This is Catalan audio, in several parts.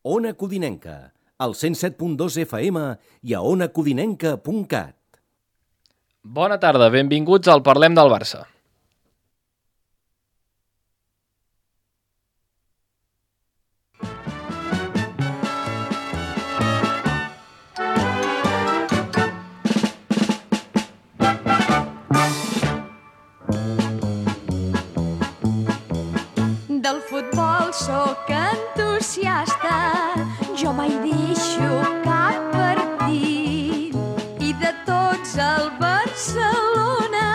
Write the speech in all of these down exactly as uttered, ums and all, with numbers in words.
Ona Codinenca, al cent set punt dos F M i a ona codinenca punt cat. Bona tarda, benvinguts al Parlem del Barça. Del futbol sóc entusiasta, jo mai deixo cap partit. I de tots el Barcelona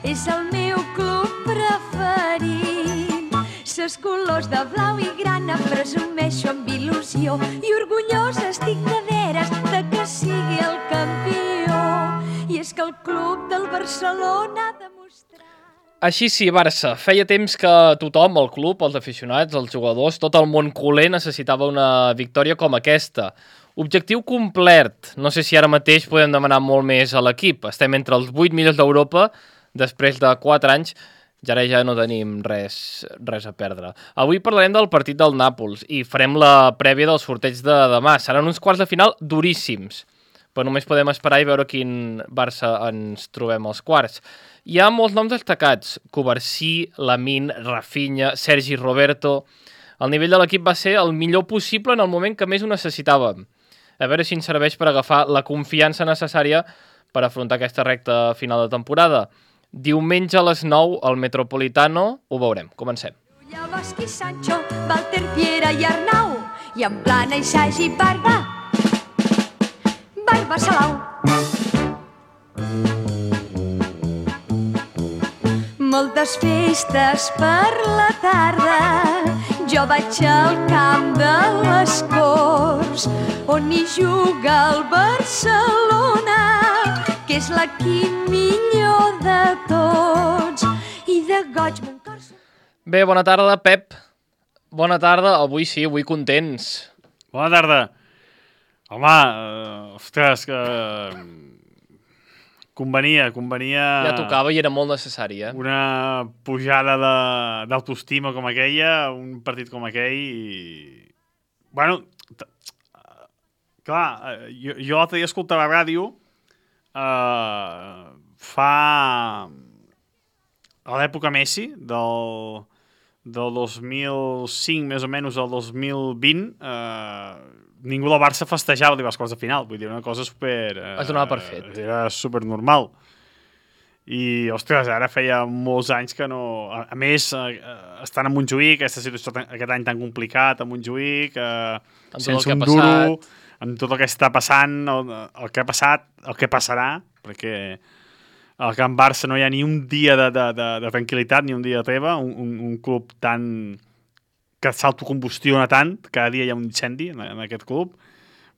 és el meu club preferit. Ses colors de blau i grana presumeixo amb il·lusió i orgullosa estic de veres de que sigui el campió. I és que el club del Barcelona ha demostrat... Així sí, Barça. Feia temps que tothom, el club, els aficionats, els jugadors, tot el món culer necessitava una victòria com aquesta. Objectiu complet. No sé si ara mateix podem demanar molt més a l'equip. Estem entre els vuit millors d'Europa després de quatre anys. Ja ara ja no tenim res, res a perdre. Avui parlarem del partit del Nàpols i farem la prèvia del sorteig de demà. Seran uns quarts de final duríssims, però només podem esperar i veure quin Barça ens trobem als quarts. Hi ha molts noms destacats: Covarsí, Lamine, Rafinha, Sergi Roberto. El nivell de l'equip va ser el millor possible en el moment que més ho necessitàvem. A veure si ens serveix per agafar la confiança necessària per afrontar aquesta recta final de temporada. Diumenge a les nou al Metropolitano ho veurem. Comencem. Llavosqui, Sancho, Walter, Piera i Arnau, i en Plana i Sagi Barba, Barba Salau. Moltes festes per la tarda, jo vaig al camp de les Corts, on hi juga el Barcelona, que és l'equip millor de tots, i de goig mon cor... Bé, bona tarda, Pep. Bona tarda, avui sí, avui contents. Bona tarda. Home, uh, ostres, que... Convenia, convenia... Ja tocava i era molt necessari, eh? Una pujada d'autoestima com aquella, un partit com aquell i... Bueno, clar, jo, jo l'altre dia escoltava a ràdio uh, fa... a l'època Messi, del, del dos mil cinc més o menys al dos mil vint, uh, ningú del Barça festejava les quarts de final, vull dir, una cosa super... Eh, es donava per fet. Era super normal. I, ostres, ara feia molts anys que no... A, a més, eh, estan a Montjuïc, aquesta situació aquest any tan complicat a Montjuïc, eh, sense un duro, amb tot el que està passant, el, el que ha passat, el que passarà, perquè al Camp Barça no hi ha ni un dia de, de, de, de tranquil·litat, ni un dia de treva, un, un, un club tan... que s'autocombustiona tant, cada dia hi ha un incendi en, en aquest club,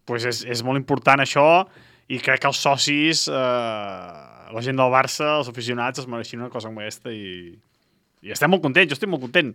pues és, és molt important això, i crec que els socis, eh, la gent del Barça, els aficionats, es mereixen una cosa com aquesta, i, i estem molt contents, jo estic molt content.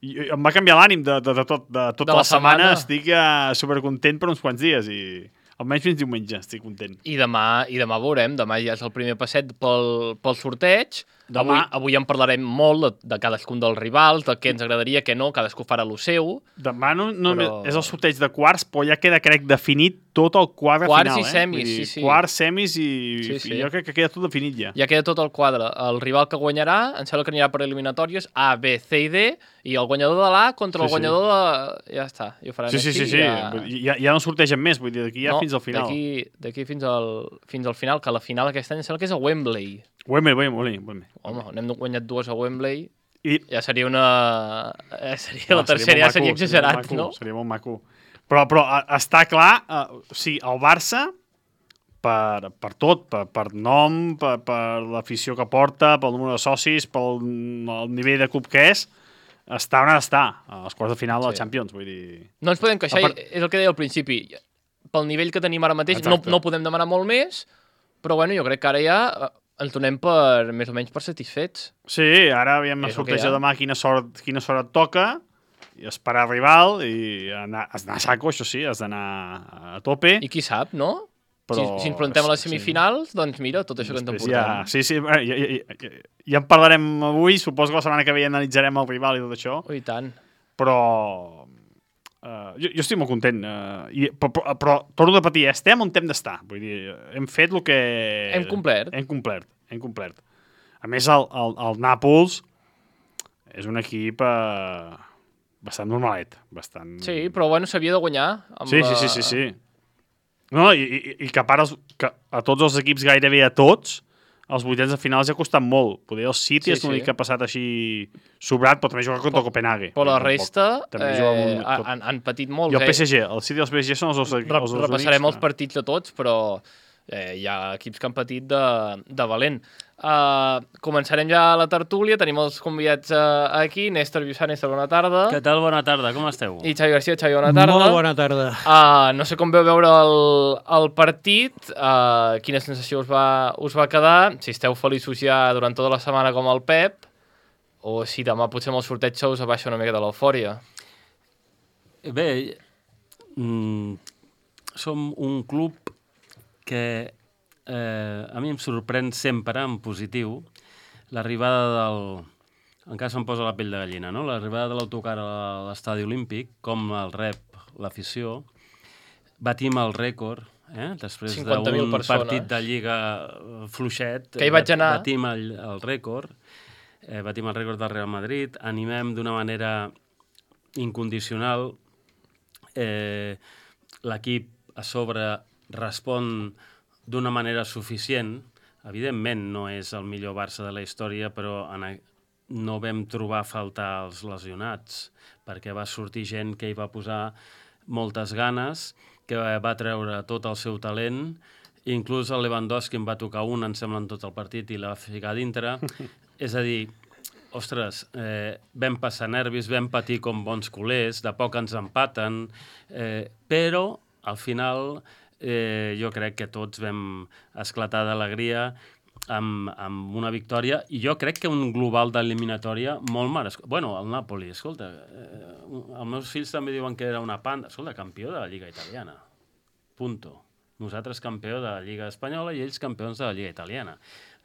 I, i em va canviar l'ànim de, de, de, tot, de tota de la, la setmana, setmana. Estic eh, supercontent per uns quants dies, i almenys fins diumenge estic content. I demà, i demà veurem, demà ja és el primer passet pel, pel sorteig. Demà... Avui, avui en parlarem molt de, de cadascun dels rivals, del que ens agradaria, que no, cadascú farà lo seu. Demà no, no però... és el sorteig de quarts, però ja queda, crec, definit tot el quadre quarts final. Quarts i semis, eh? sí, sí. Quarts, semis i, sí, sí. i jo crec que queda tot definit ja. Ja queda tot el quadre. El rival que guanyarà, em sembla que anirà per eliminatòries A, B, C i D, i el guanyador de l'A contra sí, el guanyador sí. de... Ja està, i ho faran sí, sí, aquí. Sí, sí, ja... sí. Ja, ja no sortegen més, vull dir, d'aquí ja no, fins al final. D'aquí, d'aquí fins, al, fins al final, que la final aquest any em sembla que és a Wembley. Wembley, Wembley, Wembley. Home, n'hem guanyat dues a Wembley, I... ja seria una... Eh, seria no, la tercera, ja seria exagerat, seria no? Seria molt maco. Però, però està clar, uh, o sigui, el Barça, per, per tot, per, per nom, per, per l'afició que porta, pel número de socis, pel el nivell de club que és, està on ha d'estar, a les quarts de final de la sí. Champions, vull dir... No ens podem queixar, part... és el que deia al principi, pel nivell que tenim ara mateix no, no podem demanar molt més, però bueno, jo crec que ara ja ens donem per, més o menys per satisfets. Sí, ara aviam a sortejar demà quina sort, quina sort et toca, i esperar rival, i anar, anar a saco, això sí, has d'anar a tope. I qui sap, no? Però, si, si ens presentem a les semifinals, sí. doncs mira, tot això que ens emportem. Ja, sí, sí, ja, ja, ja, ja en parlarem avui, suposo que la setmana que ve analitzarem el rival i tot això. Oh, i tant. Però Uh, jo, jo estic molt content, uh, i, però, però, però torno a repetir, estem on hem d'estar. Vull dir, hem fet el que... Hem complert. Hem complert, hem complert. A més, el, el, el Nàpols és un equip uh, bastant normalet. Bastant... Sí, però bueno, s'havia de guanyar. Amb sí, la... sí, sí, sí, sí. No, i, i, i que a part els, que a tots els equips, gairebé a tots, els vuitens de finals ja ha costat molt. Poder el City sí, és l'únic sí. que ha passat així sobrat, però també juga contra el Copenhague. Però la resta eh, un... han, han patit molt. I el P S G, el City i el P S G són els dos, els dos repassarem únics. Els partits de tots, però eh, hi ha equips que han patit de, de valent. Uh, començarem ja la tertúlia, tenim els convidats uh, aquí, Néstor Viussà, Néstor, bona tarda. Què tal, bona tarda, com esteu? I Xavi García, Xavi, bona tarda. Molt bona tarda. Uh, no sé com veu veure el, el partit, uh, quina sensació us va, us va quedar, si esteu feliços ja durant tota la setmana com el Pep, o si demà potser amb el sorteig se us abaixa una mica de l'eufòria. Bé, mm, som un club que eh, a mi em sorprèn sempre en positiu l'arribada del... Encara se'm posa la pell de gallina, no? L'arribada de l'autocar a l'estadi olímpic, com el rep l'afició, batim el rècord, eh? Després d'un partit de Lliga fluixet, que hi vaig anar. batim el, el rècord, eh, batim el rècord del Real Madrid, animem d'una manera incondicional, eh, l'equip a sobre respon d'una manera suficient. Evidentment no és el millor Barça de la història, però en a... no vam trobar a faltar els lesionats, perquè va sortir gent que hi va posar moltes ganes, que va treure tot el seu talent, inclús el Lewandowski en va tocar un, em sembla, en tot el partit, i la va ficar dintre. És a dir, ostres, eh, vam passar nervis, vam patir com bons culers, de poc ens empaten, eh, però al final eh, jo crec que tots vam esclatar d'alegria amb, amb una victòria, i jo crec que un global d'eliminatòria molt merescut. Bueno, el Napoli, escolta, eh, els meus fills també diuen que era una panda. Escolta, campió de la Lliga Italiana. Punto. Nosaltres campió de la Lliga Espanyola i ells campions de la Lliga Italiana.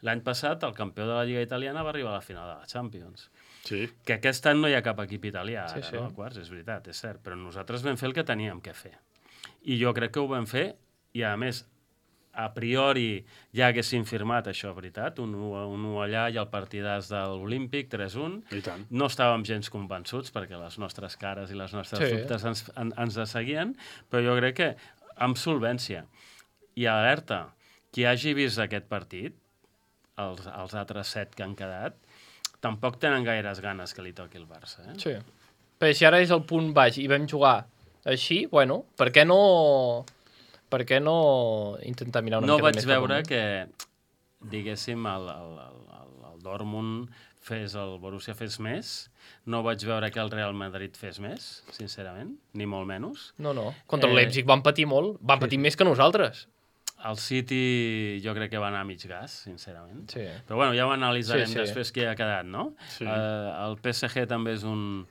L'any passat, el campió de la Lliga Italiana va arribar a la final de la Champions. Sí. Que aquest any no hi ha cap equip italià, ara, sí, sí. no? A quarts, és veritat, és cert, però nosaltres vam fer el que teníem que fer. I jo crec que ho vam fer, i a més, a priori ja haguessin firmat això, veritat, un u allà i el partidàs de l'Olímpic, tres un. No estàvem gens convençuts, perquè les nostres cares i les nostres sí. dubtes ens, en, ens seguien, però jo crec que amb solvència. I alerta, qui hagi vist aquest partit, els, els altres set que han quedat, tampoc tenen gaires ganes que li toqui el Barça. Eh? Sí. Però si ara és el punt baix i vam jugar així, bueno, per què no... Per què no intentar mirar una no mica més? No vaig veure que, diguéssim, el, el, el, el Dortmund fes, el Borussia fes més. No vaig veure que el Real Madrid fes més, sincerament, ni molt menys. No, no. Contra el eh... Leipzig van patir molt. Van patir sí. més que nosaltres. El City jo crec que va anar a mig gas, sincerament. Sí. Però bueno, ja ho analitzarem sí, sí. després què ha quedat, no? Sí. Uh, el P S G també és un...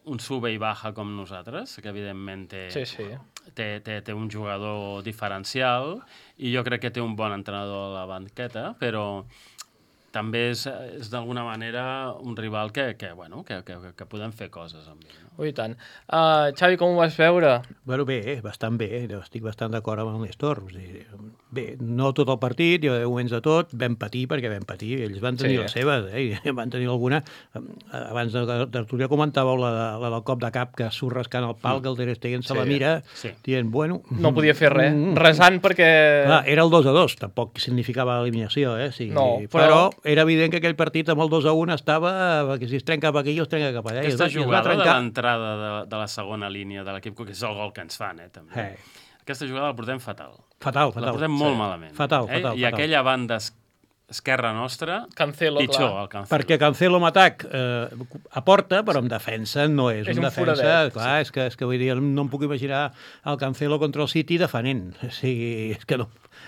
un sube i baja com nosaltres, que evidentment té, sí, sí. té, té, té un jugador diferencial i jo crec que té un bon entrenador a la banqueta, però també és, és d'alguna manera un rival que, que, bueno, que, que, que podem fer coses amb ell. No? Ui, tant. Uh, Xavi, com ho vas veure? Bueno, bé, bastant bé. Estic bastant d'acord amb el Néstor. Bé, no tot el partit, hi va haver moments de tot, vam patir perquè vam patir. Ells van tenir sí. les seves, eh? Van tenir alguna. Abans de la tertúlia comentàveu la, la del cop de cap que surt rascant el pal, que el Ter Stegen se sí. la mira, sí. dient, bueno... No podia fer res, mm, resant perquè... Clar, era el dos a dos, tampoc significava l'eliminació, eh? Sí, no, però... però era evident que aquell partit amb el dos a un estava, que si es trenca cap aquí o es trenca cap allà. Aquesta jugada trencar... de l'entrada de, de la segona línia de l'equip, que és el gol que ens fan, eh, també. Hey. Aquesta jugada la portem fatal. Fatal, fatal. La portem molt sí. malament. Fatal, eh? fatal. I fatal. aquella banda esquerra nostra, Cancelo, pitjor, clar. el Cancelo. Perquè Cancelo en atac eh, aporta, però en defensa no és, és un, un defensa. foradet. Clar, sí. és, que, és que vull dir, no em puc imaginar el Cancelo contra el City defenent. O sigui, és que no...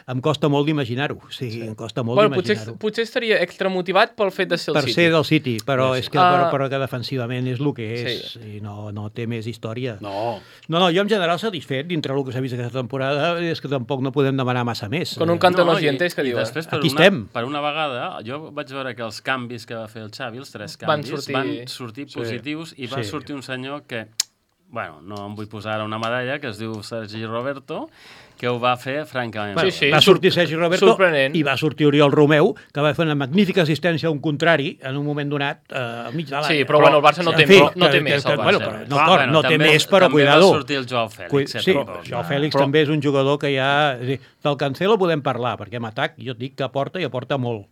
Em costa molt d'imaginar-ho. O sigui, sí. em costa molt bueno, d'imaginar-ho. Potser, potser estaria extramotivat pel fet de ser el per City. Per ser del City, però sí, sí. és que, uh... però, però que defensivament és el que és. Sí. I no, no té més història. No. No, no, jo en general satisfet dintre del que s'ha vist aquesta temporada, és que tampoc no podem demanar massa més. Con un canto no, los dientes que diu. Després, per Aquí una, estem. Per una vegada, jo vaig veure que els canvis que va fer el Xavi, els tres canvis, van sortir, van sortir positius sí. i va sí. sortir un senyor que bueno, no em vull posar ara una medalla, que es diu Sergi Roberto, que ho va fer francament Bueno, bé. sí. va sortir Sergi Roberto Sorprenent. i va sortir Oriol Romeu, que va fer una magnífica assistència a un contrari en un moment donat eh, al mig de l'àrea. Sí, però, bueno, el Barça no té, En fi, no té que- més, que- el bueno, Barça. però no, Clar, cor, bueno, no té també- més, però també cuidado. va sortir el Joao Fèlix. Cui- eh, Sí, però- Joao Fèlix però- també és un jugador que ja... és a dir, del Cancelo podem parlar, perquè en atac jo et dic que aporta i aporta molt.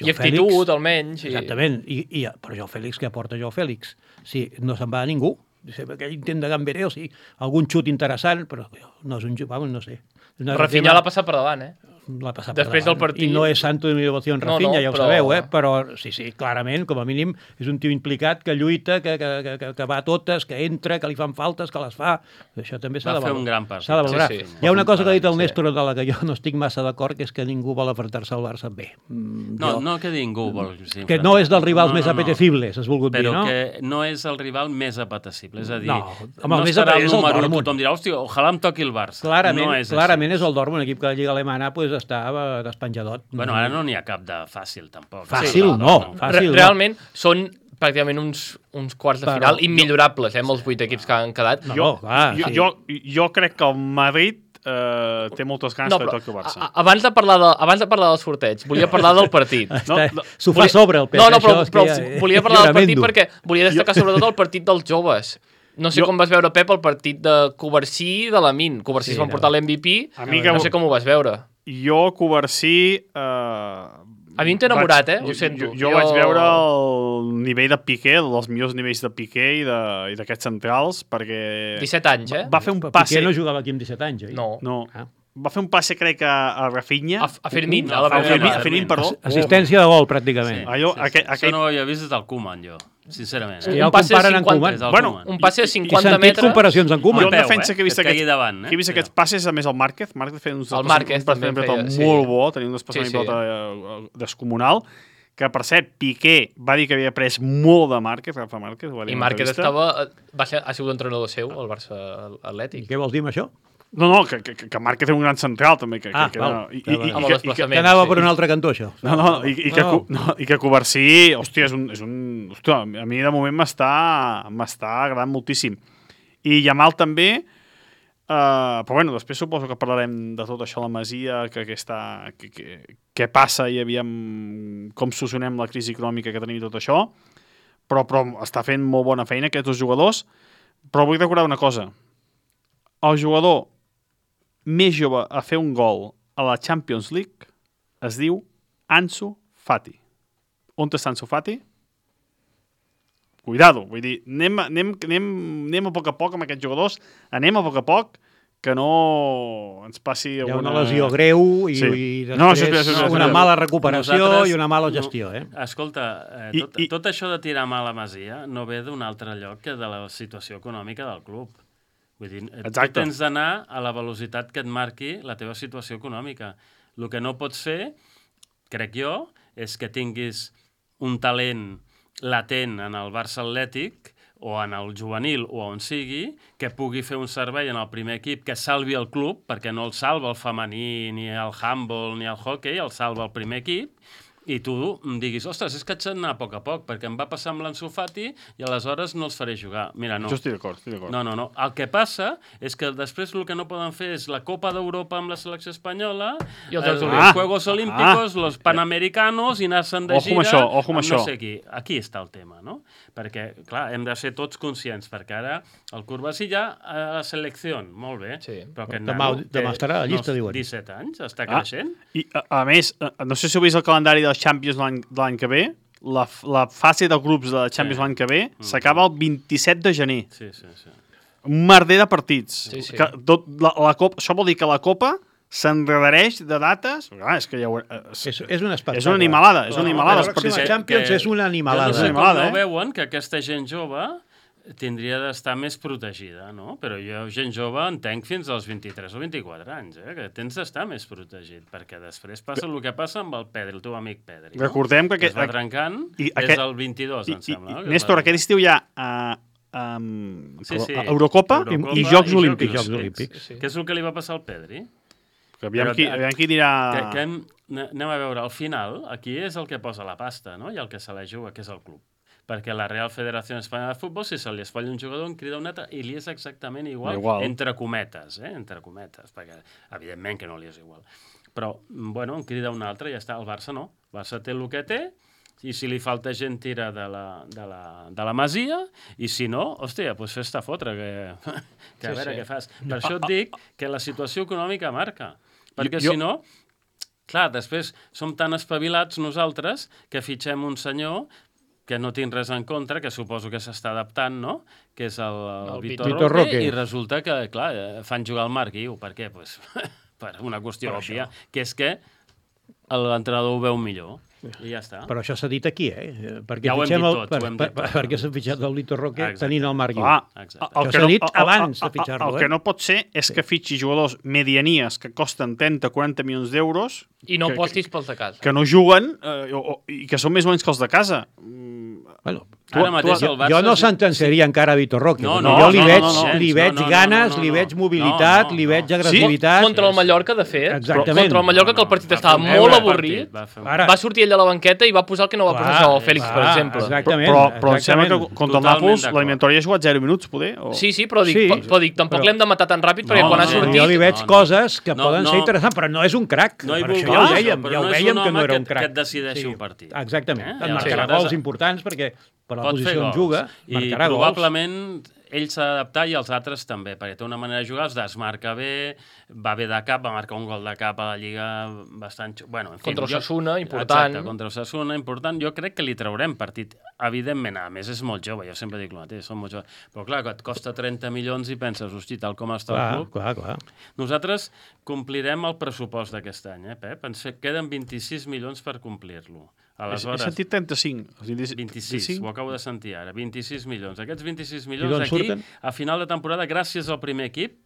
I actitud, almenys. I... Exactament, I, i, però Joao Fèlix, què aporta Joao Fèlix? Sí, no se'n va a ningú. Aquell intent de Gamberé, o sigui, algun xut interessant, però no és un xut, vamos, no sé. Una- Rafinha l'ha passat per davant, eh? l'ha passat Després per davant. del partit- I no és santo de mi devoció en No, Rafinha, no, ja ho però- sabeu, eh? Però sí, sí, clarament, com a mínim, és un tio implicat que lluita, que, que, que, que va a totes, que entra, que li fan faltes, que les fa. Això també s'ha Va de fer valorar. un gran partit. S'ha de valorar. Sí, sí. Hi ha una cosa que ha dit el Sí. Néstor de la que jo no estic massa d'acord, que és que ningú vol enfrontar-se al Barça bé. Mm, No, jo- no que ningú vol... Sí, que no és dels rivals no, més no, no. apetecibles, has volgut Però dir, no? que no és el rival més apetecible. És a dir, No, home, no el més estarà apetecible el és el número u, Dortmund. tothom dirà, hòstia, ojalà em toqui el Barça. Clarament, no és clarament així. és el Dortmund, un equip que la Lliga Alemana pues, està eh, despenjadot. Bueno, ara no n'hi ha cap de fàcil, tampoc. Fàcil, Sí, clar, no. Fàcil, Re no. Realment són pràcticament uns, uns quarts de Però- final immillorables, eh, amb els vuit equips que han quedat. No, Jo, clar, jo, sí. jo, jo crec que el Madrid eh, té moltes ganes No, que però, toqui el Barça. a- a- abans, de parlar de, abans de parlar del sorteig, volia parlar del partit. No, Està- no, S'ho fa Volia- sobre el pes. No, no, això però, és que però ja- volia parlar del partit tremendo. perquè volia destacar sobretot el partit dels joves. No sé Jo- com vas veure, Pep, el partit de Covarsí i de Lamin. Covarsí Sí, es van no. portar l'M V P, A mi que- no sé com ho vas veure. Jo, Covarsí... Eh, A mi em té enamorat, vaig- eh? Ho sento. Jo, jo, Jo- vaig veure el nivell de Piqué, dels millors nivells de Piqué i de- i d'aquests centrals, perquè... disset anys, eh? Va fer un Però passe... Piqué no jugava aquí amb disset anys, oi? No. No. Ah. Va fer un passe, crec, a, a Rafinha. A, a Fermín, No, a la a A primera Fermín, part. a Fermín, perdó. Assistència de gol, pràcticament. Sí, Allò, sí, aquell- sí. aquell- Això no ho havia vist des del Koeman, jo, sincerament. Sí, Eh? ja un el passe de comparen amb cinquanta Koeman. Des del Bueno, Koeman. Un passe de He cinquanta sentit metres. comparacions amb Jo Koeman. en peu, defensa eh? que he vist Que et aquests, caigui davant, eh? que he vist Però- aquests passes, a més el Márquez. Márquez feia uns El Márquez un també pilota feia, sí. molt bo, tenia un desplaçament Sí, de sí. pilota eh, descomunal, que per cert, Piqué va dir que havia après molt de Márquez, Rafa Márquez, ho va dir I en una Márquez entrevista. estava, va ser, ha sigut entrenador seu, al Barça I Atlètic. què vols dir amb això? No, no, que, que, que Márquez és un gran central, també. Que, Ah, que, val. que, i, Ja i, va. i, Amb el que, i, que, desplaçament. Que anava sí. per un altre cantó, això. no, no, i, i, que, No. no, i que Covarsí, hòstia, és un... És un hòstia, a mi de moment m'està m'està agradant moltíssim. I Yamal també, Uh, però bueno, després suposo que parlarem de tot això a la Masia, que, que està, que, que, què passa i aviam com solucionem la crisi econòmica que tenim i tot això, però, però està fent molt bona feina aquests dos jugadors. Però vull recordar una cosa: el jugador més jove a fer un gol a la Champions League es diu Ansu Fati. On està Ansu Fati? Cuidado, vull dir, anem, anem, anem, anem a poc a poc amb aquests jugadors, anem a poc a poc, que no ens passi Hi ha alguna... una lesió greu i, Sí. i després No, això és veritat, això és veritat, una això és mala veritat. recuperació Nosaltres- i una mala no, gestió, eh? Escolta, eh, I- tot, i- tot això de tirar mal a Masia no ve d'un altre lloc que de la situació econòmica del club. Vull dir, eh, tu Exacte. tens d'anar a la velocitat que et marqui la teva situació econòmica. El que no pots fer, crec jo, és que tinguis un talent latent en el Barça Atlètic o en el juvenil o on sigui, que pugui fer un servei en el primer equip que salvi el club, perquè no el salva el femení, ni el handball, ni el hockey, el salva el primer equip, i tu em diguis, ostres, és que haig d'anar a poc a poc, perquè em va passar amb l'Ansu Fati i aleshores no els faré jugar. Mira, no. Jo estic d'acord, estic d'acord. No, no, no. El que passa és que després el que no poden fer és la Copa d'Europa amb la selecció espanyola, I els eh, Jocs els Olímpics. Juegos Olímpicos, los Panamericanos, i anar-se'n de Ojo amb gira això, ojo amb no això. sé qui. Aquí està el tema, no? Perquè, clar, hem de ser tots conscients, perquè ara el Corbassi ja a la selecció, molt bé, Sí. però aquest Demà- nano demà té, estarà a la llista, no, diuen. disset anys, està Ah, creixent. I, a, a més, eh, no sé si heu vist el calendari dels Champions l'any de l'any que ve, la, la fase de grups de Champions Sí. l'any que ve s'acaba el vint-i-set de gener. Sí, sí, sí. Un merder de partits. Sí, sí. Que tot, la, la Copa, això vol dir que la Copa s'enredareix de dates. Clar, és que ja ho, és, És, és un espectacle. és una animalada, és una No, animalada. La els pròxima partits. Champions que- és una Jo animalada. no sé com Animalada, no eh? veuen que aquesta gent jove tindria d'estar més protegida, no? Però jo, gent jove, entenc fins als vint-i-tres o vint-i-quatre anys, eh? Que tens d'estar més protegit, perquè després passa el que passa amb el Pedri, el teu amic Pedri. No? Recordem que que aquest- es va trencant i des aquest- del vint-i-dos, I, em sembla. i, no? i, Que Néstor, va- aquest estiu hi ha uh, um, Sí, sí. Eurocopa, Eurocopa i, i i Jocs Jocs Olímpics. Jocs Olímpics. Olímpics. Sí. Què és el que li va passar al Pedri? Que aviam, Però, qui, eh, aviam qui dirà... Que, que hem, anem a veure, al final, aquí és el que posa la pasta, no? I el que se la juga, que és el club. perquè la Real Federació Espanyola de Futbol, si se li esfalla un jugador, en crida un altre, i li és exactament igual, igual. entre cometes, eh? entre cometes, perquè evidentment que no li és igual. Però, bueno, en crida un altre i ja està. El Barça no. El Barça té el que té, i si li falta gent tira de la, de la, de la Masia, i si no, hòstia, doncs fes-te fotre, que, que a Sí, veure sí. què fas. Per això et dic que la situació econòmica marca, perquè Jo- si no, clar, després som tan espavilats nosaltres que fitxem un senyor que no tinc res en contra, que suposo que s'està adaptant, no?, que és el, el, El Vitor, Vitor Roque, Roque. i resulta que, clar, eh, fan jugar el Marc Guiu. Per què? Pues, per una qüestió Per òbvia, que és que l'entrenador ho veu millor. I ja està. Però això s'ha dit aquí, eh? Perquè Ja ho hem fitxem dit el- tot, per, ho hem per, dit tot. perquè s'ha fitxat el Lito Roque Exacte. tenint el Marc Guiu. Clar, Exacte. el Això que s'ha no- dit el- el- abans de el- fitxar-lo, El eh? que no pot ser és que fitxi jugadors medianies que costen trenta o quaranta milions d'euros I no que, apostis pels de casa. que, que no juguen eh, o, o, i que són més bons que els de casa. Bueno, Ara mateix jo, el Barça... jo no és- sentenciaria encara Vitor Roque. No, perquè no, jo li no, veig, no, no, li gens, veig no, no, ganes, no, no, li no. veig mobilitat, No, no, li veig no. agressivitat. Contra el Mallorca, de fet. Exactament. Contra el Mallorca, que el partit Va estava fer un molt bon avorrit. partit, va fer un- Ara- Va sortir ell a la banqueta i va posar el que no va posar Clar, això, Fèlix, per clar, exemple. exactament. Però, però em sembla que exactament. contra el Totalment Nàpols d'acord. l'eliminatori ha jugat zero minuts, poder? O... Sí, sí, però dic, Sí, sí, però dic tampoc però- l'hem de matar tan ràpid, perquè No, quan ha no, Però sortit... jo li veig No, no. coses que No, poden no. ser interessants, però no és un crac. No hi Per vull això ja ho dir, dèiem, però ja ho no és dèiem un que no home era un que- crac. que et decideixi un partit. Exactament. Eh? Et Llavors, marcarà aleshores- gols importants perquè per la Pot fer posició on gols. juga, I marcarà gols. probablement ell s'ha d'adaptar i els altres també, perquè té una manera de jugar, els desmarca bé, va bé de cap, va marcar un gol de cap a la Lliga bastant... xu- Bueno, en fi, Contra el jo- Osasuna, important. Exacte, contra el Osasuna, important. Jo crec que li traurem partit. Evidentment, a més, és molt jove, jo sempre dic el mateix, són molt joves. Però clar, que et costa trenta milions i penses, hosti, tal com està el Clar, club... clar, clar. Nosaltres complirem el pressupost d'aquest any, eh, Pep? Ens fe- queden vint-i-sis milions per complir-lo. He, he Aleshores, sentit trenta-cinc. vint-i-sis, ho acabo de sentir ara, vint-i-sis milions. Aquests vint-i-sis milions d'on aquí, surten? a final de temporada, gràcies al primer equip,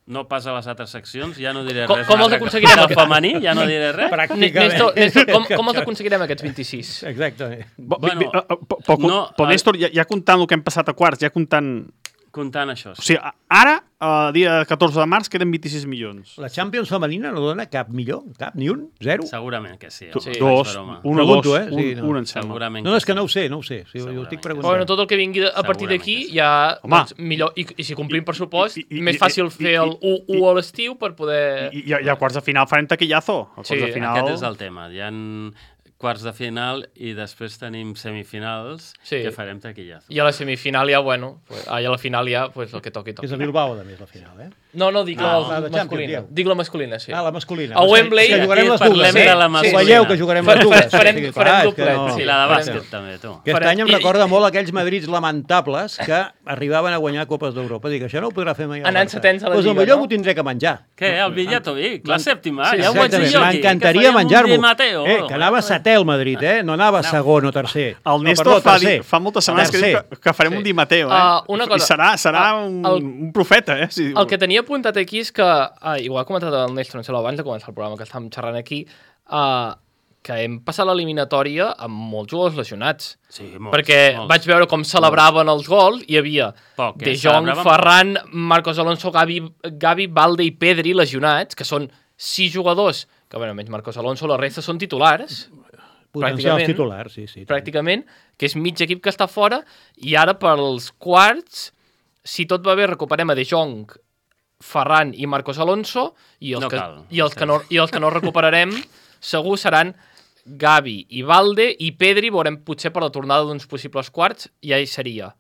no pas a les altres seccions, ja no diré Com- res. com els Del aconseguirem del aquest- femení, ja no diré res. Néstor, Néstor, com, com els aconseguirem, aquests vint-i-sis? Exactament. Bo, Bueno, bueno, uh, uh, però, no, però el- Néstor, ja, ja comptant el que hem passat a quarts, ja comptant... Comptant això. O sigui, a- ara, uh, dia catorze de març, queden vint-i-sis milions. La Champions femenina no dona cap millor, cap, ni un, zero. Segurament que sí. Tu- home, dos, faig broma. un o Pregunto, dos, eh? Sí, un, no. un em sembla. Segurament No, no, és que sí. no ho sé, no ho sé. Sí, jo Segurament estic que sí. preguntant. Bueno, tot el que vingui a partir Segurament d'aquí que sí. ja Home. doncs, millor. I, I si complim pressupost, I- i- més i- fàcil i- fer i- el u u a l'estiu per poder... I, i, i a quarts de final farem taquillazo. A quarts Sí, de final... Aquest és el tema. Hi ha quarts de final i després tenim semifinals Sí. que farem taquillazo. I a la semifinal ja, bueno, pues, ah, i a la final ja, pues, el que toqui, toqui. És a Bilbao, a més, la final, eh? No, no, dic Ah, la, la de masculina. Champions, dieu. Dic la masculina, sí. Ah, la masculina. A Wembley, Que jugarem aquí les dues, parlem eh? de la Ho masculina. veieu que jugarem Fa- les dues. farem- O sigui, farem clar, és doblet, que no- Sí, la de Farem- bàsquet també, tu. Aquest Farem- any em i- recorda molt aquells Madrids lamentables que arribaven a guanyar Copes d'Europa. Dic, això no ho podrà fer mai el Anant Barça. setens a la Pues Lliga, potser no? m'ho tindré que menjar. Què, el Villato Vic, la sèptima, Sí, ja ho vaig dir Exactament, jo aquí. m'encantaria que faríem un menjar-m'ho. Di Matteo. Eh, que anava setè al Madrid, eh? No anava segon o tercer. El No, Néstor perdó, fa, tercer. di- fa moltes setmanes que diu Tercer. que, que farem Sí. un Di Matteo, eh? Ah, una cosa. I serà, serà Ah, un, el- un profeta, eh? Si... El que tenia apuntat aquí és que, ah, igual ha comentat el Néstor, no sé, abans de començar el programa que estàvem xerrant aquí, uh, que hem passat l'eliminatòria amb molts jugadors lesionats. Sí, molts, perquè molts. vaig veure com celebraven els gols, hi havia Poc, eh? De Jong, Celebraven Ferran, Marcos Alonso, Gavi, Gavi, Balde i Pedri lesionats, que són sis jugadors, que bueno, menys Marcos Alonso, la resta són titulars, Potencials pràcticament. titulars, sí, sí. pràcticament, que és mig equip que està fora, i ara pels quarts, si tot va bé, recuperem a De Jong, Ferran i Marcos Alonso, i els, No que, cal. i els, que, no, i els que no recuperarem segur seran Gavi i Balde i Pedri, veurem potser per la tornada d'uns possibles quarts, ja hi seria.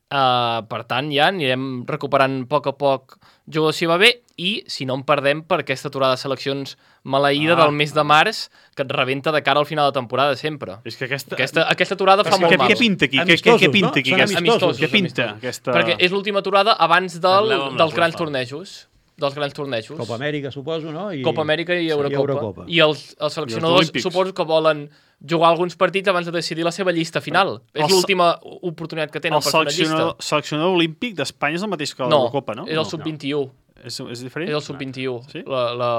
Uh, per tant, ja anirem recuperant a poc a poc jugadors si va bé, i si no en perdem per aquesta aturada de seleccions maleïda Ah. del mes de març, que et rebenta de cara al final de temporada sempre. És que aquesta... Aquesta, aquesta aturada fa Però molt què, mal. què pinta aquí? Què, què, Amistosos, què pinta no? aquí? Són Aquesta... amistosos, Què pinta amistosos. aquesta... Perquè és l'última aturada abans del, Parleu amb la dels grans UEFA. tornejos. Dels grans tornejos. Copa Amèrica, suposo, no? I... Copa Amèrica i Sí, Eurocopa. Eurocopa. I els, els seleccionadors Olímpics. suposo que volen jugar alguns partits abans de decidir la seva llista final. El És se- l'última oportunitat que tenen El per fer una llista. seleccionador, seleccionador olímpic d'Espanya és el mateix que No, l'Eurocopa, no? és el sub vint i u. És, és diferent? És el sub vint i u. Sí? La, la,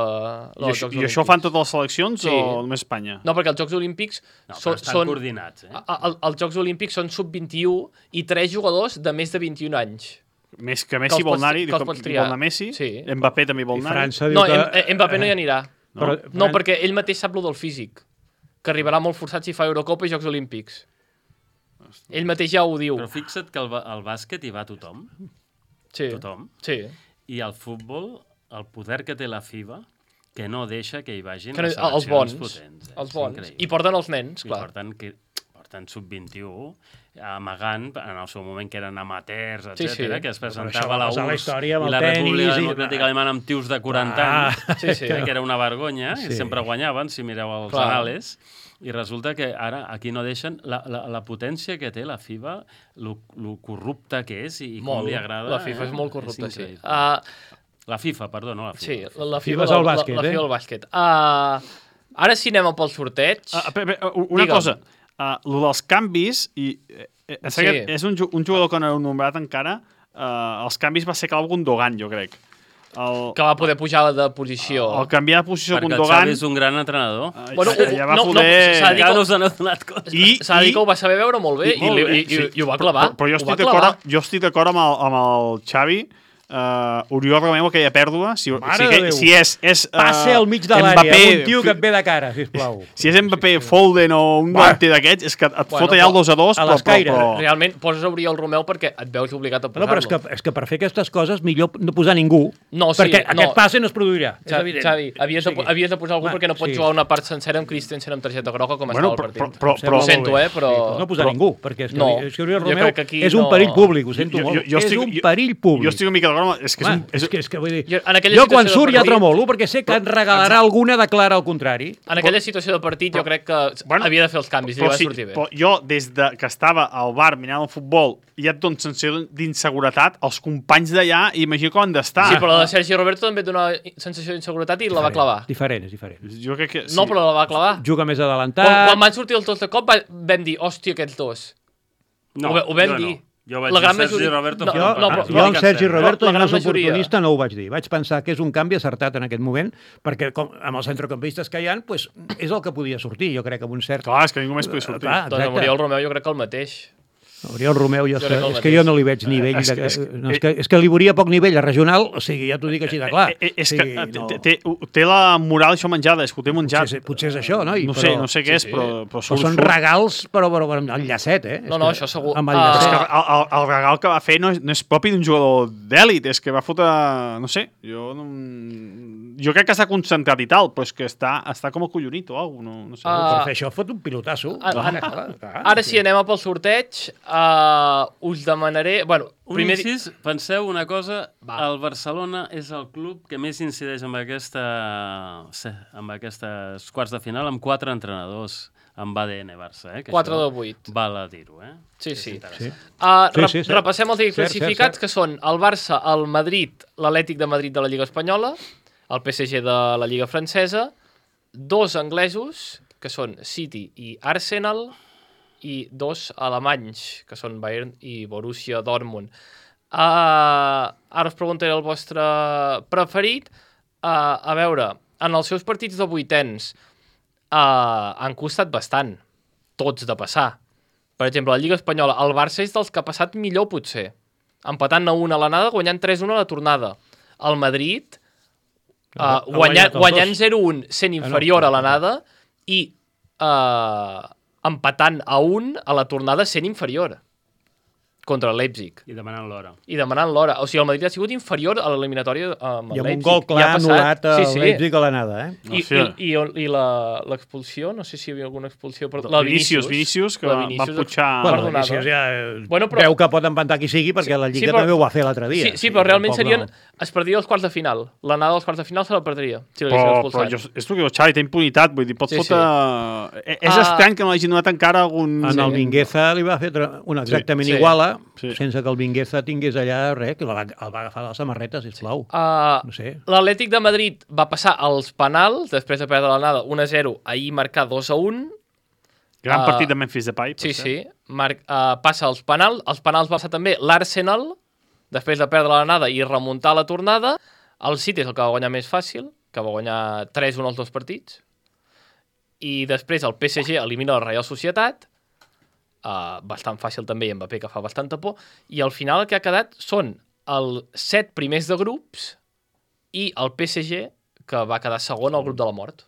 la, I, això, I això ho fan totes les seleccions Sí. o només Espanya? No, perquè els Jocs Olímpics No, però són, estan són, coordinats, eh? a- a- el- els Jocs Olímpics són sub vint i u i tres jugadors de més de vint i un anys. Més que Que Messi els vol pots- anar-hi, que els diu pots que triar. vol anar Messi, Sí. Mbappé també vol I anar-hi. França diu No, que... Em- Em- Mbappé no hi anirà. Però, No, Fran- perquè ell mateix sap lo del físic, que arribarà molt forçat si fa Eurocopa i Jocs Olímpics. Ell mateix ja ho diu. Però fixa't que el, el bàsquet hi va tothom. Sí. Tothom. Sí. I el futbol, el poder que té la FIBA, que no deixa que hi vagin Que no, les els seleccions bons. potents. Eh? Els bons. Increïble. I porten els nens, I clar. porten, que, porten sub vint-i-u, amagant, en el seu moment que eren amateurs, Sí, etcètera, sí. que es Però això presentava va a la passar a la U R S S història amb i el la tenis República i- Democràtica Alemana amb tios de quaranta Ah. anys, Sí, sí. que era una vergonya, i Sí. sempre guanyaven, si mireu els Clar. anales. I resulta que ara aquí no deixen la, la, la potència que té la FIBA, lo, lo corrupta que és i, i com Molt. li agrada. La FIFA eh? és molt corrupta, sí. increïble. Uh, La FIFA, perdó, no la FIFA. sí, la, la FIFA FIFA, és el la, bàsquet, la, la eh? FIFA del bàsquet. Uh, ara sí anem pel sorteig. Uh, pe, pe, una Digue'm. cosa, uh, lo dels canvis, i eh, eh, Sí. sí. és un, ju- un jugador que no heu nombrat encara, uh, els canvis va ser Clau Gundogan, jo crec. El, Que va poder pujar de posició. el canviar de posició Perquè el Gundogan... Xavi és un gran entrenador. uh, Bueno, ja, ja va no, no, poder... s'ha de dir Encara que- no us n'heu donat compte. I- S'ha de dir i- que ho va saber veure molt bé i, molt i, bé, i, i, sí. i ho va clavar. Però, però jo Ho estic va clavar. d'acord jo estic d'acord amb, el, amb el Xavi. Uh, Oriol Romeu, aquella pèrdua, si, Mare si, de que, Déu. si és... és uh, Passa al mig de l'àrea, amb un tio que et ve de cara, sisplau. Si és Mbappé, Foden o un davanter d'aquests, és que et Bueno, fot allà el però- dos a dos, a però, l'escaire. però, però, Realment, poses Oriol Romeu perquè et veus obligat a No, posar-lo. però és que, és que per fer aquestes coses millor no posar ningú, No, sí, perquè no. aquest passe no es produirà, és Xavi, evident. Xavi, havies, de, O sigui, havies de posar algú home, perquè no pots sí. jugar una part sencera amb Christensen amb targeta groga com bueno, estava el però, partit. però, Em però, sembla sento, molt bé. eh, però- Sí, no posar però- ningú, perquè és que, No, és que Oriol jo Romeu crec que aquí és un no- perill públic, ho sento Jo- molt. jo- jo és estic- un jo- perill públic. jo estic una mica d'acord, és que és Home, un... És, és, que, és que vull dir, Jo, en aquella jo quan situació surt de ja partit- tremolo, perquè sé que et regalarà alguna de clara al contrari. En aquella situació de partit jo crec que Bueno, havia de fer els canvis i li però, va sí, sortir bé. però jo, des de que estava al bar mirant el futbol, ja et dono sensació d'inseguretat, els companys d'allà, imagino com han d'estar. Sí, però la de Sergi Roberto també et dona sensació d'inseguretat i la va clavar. Diferent, és diferent. Jo crec que... Sí. No, però la va clavar. Juga més Quan, adelantat. quan van sortir els dos de cop va- vam dir, hòstia, aquests dos. No, ho, ve- ho vam jo dir. no. Jo vaig La dir gran Sergi majoria- Roberto no, fent Jo, un no, partit. però- jo amb no, Sergi no, Roberto, la no gran és majoria. oportunista, no ho vaig dir. Vaig pensar que és un canvi acertat en aquest moment, perquè com, amb els centrocampistes que hi ha, pues, és el que podia sortir, jo crec, amb un cert... Clar, és que ningú més podia sortir. Clar, Doncs amb exacte. Oriol Romeu jo crec que el mateix. Oriol Romeu, jo, Jo és, crec que, el és que jo mateix. no li veig nivell... És que- de, és que- no, és, que, és que li veuria poc nivell a regional, o sigui, ja t'ho dic així de clar. Eh, eh, és Sí, que eh, no. té, té, té la moral això menjada, és que ho té menjat. Potser, potser és això, no? I, No sé, però, no sé què és, sí. però, però, Però surt, són surt. regals, però, però, però amb el llacet, eh? No, És no, que- això segur. Amb el Ah, És que llacet. el, el, el regal que va fer no és, no és propi d'un jugador d'èlit, és que va fotre... No sé, jo no... Jo crec que s'ha concentrat i tal, però és que està, està com acollonit o alguna cosa, no, no sé. Ah, Per fer això fot un pilotasso. Ah, Clar, ah, clar, clar. Ara sí, anem a pel sorteig. Uh, us demanaré... Bueno, Un primer... incís, penseu una cosa, Va. el Barcelona és el club que més incideix amb aquesta sí, amb aquestes quarts de final amb quatre entrenadors amb A D N Barça, eh? Que quatre això de vuit. Val a dir-ho, eh? Sí, És sí. interessant. Uh, Sí, rep sí, cert. repassem els equips Cert, classificats, cert, cert. que són el Barça, el Madrid, l'Atlètic de Madrid de la Lliga Espanyola, el P S G de la Lliga Francesa, dos anglesos, que són City i Arsenal, i dos alemanys, que són Bayern i Borussia Dortmund. Uh, ara us preguntaré el vostre preferit. Uh, a veure, en els seus partits de vuitens uh, han costat bastant, tots de passar. Per exemple, la Lliga Espanyola, el Barça és dels que ha passat millor, potser. Empatant a una a l'anada, guanyant tres a una a la tornada. El Madrid, uh, Ha guanyant, guanyat els guanyant dos. zero a un, sent inferior a l'anada, i uh, empatant a un a la tornada sent inferior contra el Leipzig. I demanant l'hora. I demanant l'hora. O sigui, el Madrid ha sigut inferior a l'eliminatòria amb el I amb un Leipzig. gol I clar ha passat- anul·lat a sí, sí. Leipzig a l'anada, eh? I, Hòstia. i, i, i la- l'expulsió, no sé si hi havia alguna expulsió, però La la Vinícius, Vinícius, Vinícius, que la va, va Vinícius putxar... Bueno, perdonada. Vinícius ja Bueno, però- veu que pot empatar qui sigui, perquè la Lliga Sí, però- també ho va fer l'altre dia. Sí, sí, però realment tampoc serien... no. Es perdria els quarts de final. L'anada dels quarts de final se la perdria, si l'haguessin Però, però expulsat. jo, és el que diu Xavi, té impunitat, vull dir, pot Sí, sí, fotre... Sí. És Ah. estrany que no l'hagi donat encara algun... En Sí. el Mingueza li va fer tra- una exactament Sí. iguala, Sí. sense que el Mingueza tingués allà res, que el va, el va agafar de la samarreta, sisplau. Uh, No sé. L'Atlètic de Madrid va passar als penals, després de perdre l'anada un a zero, ahir marcar dos a un. Gran Ah. partit de Memphis Depay. per Sí, cert. sí. Mar uh, passa als penals. Els penals va passar també l'Arsenal, després de perdre l'anada i remuntar la tornada. El City és el que va guanyar més fàcil, que va guanyar tres a un els dos partits. I després el P S G elimina la Real Societat, uh, bastant fàcil també, i Mbappé, que fa bastanta por. I al final el que ha quedat són els set primers de grups i el P S G, que va quedar segon al grup de la mort.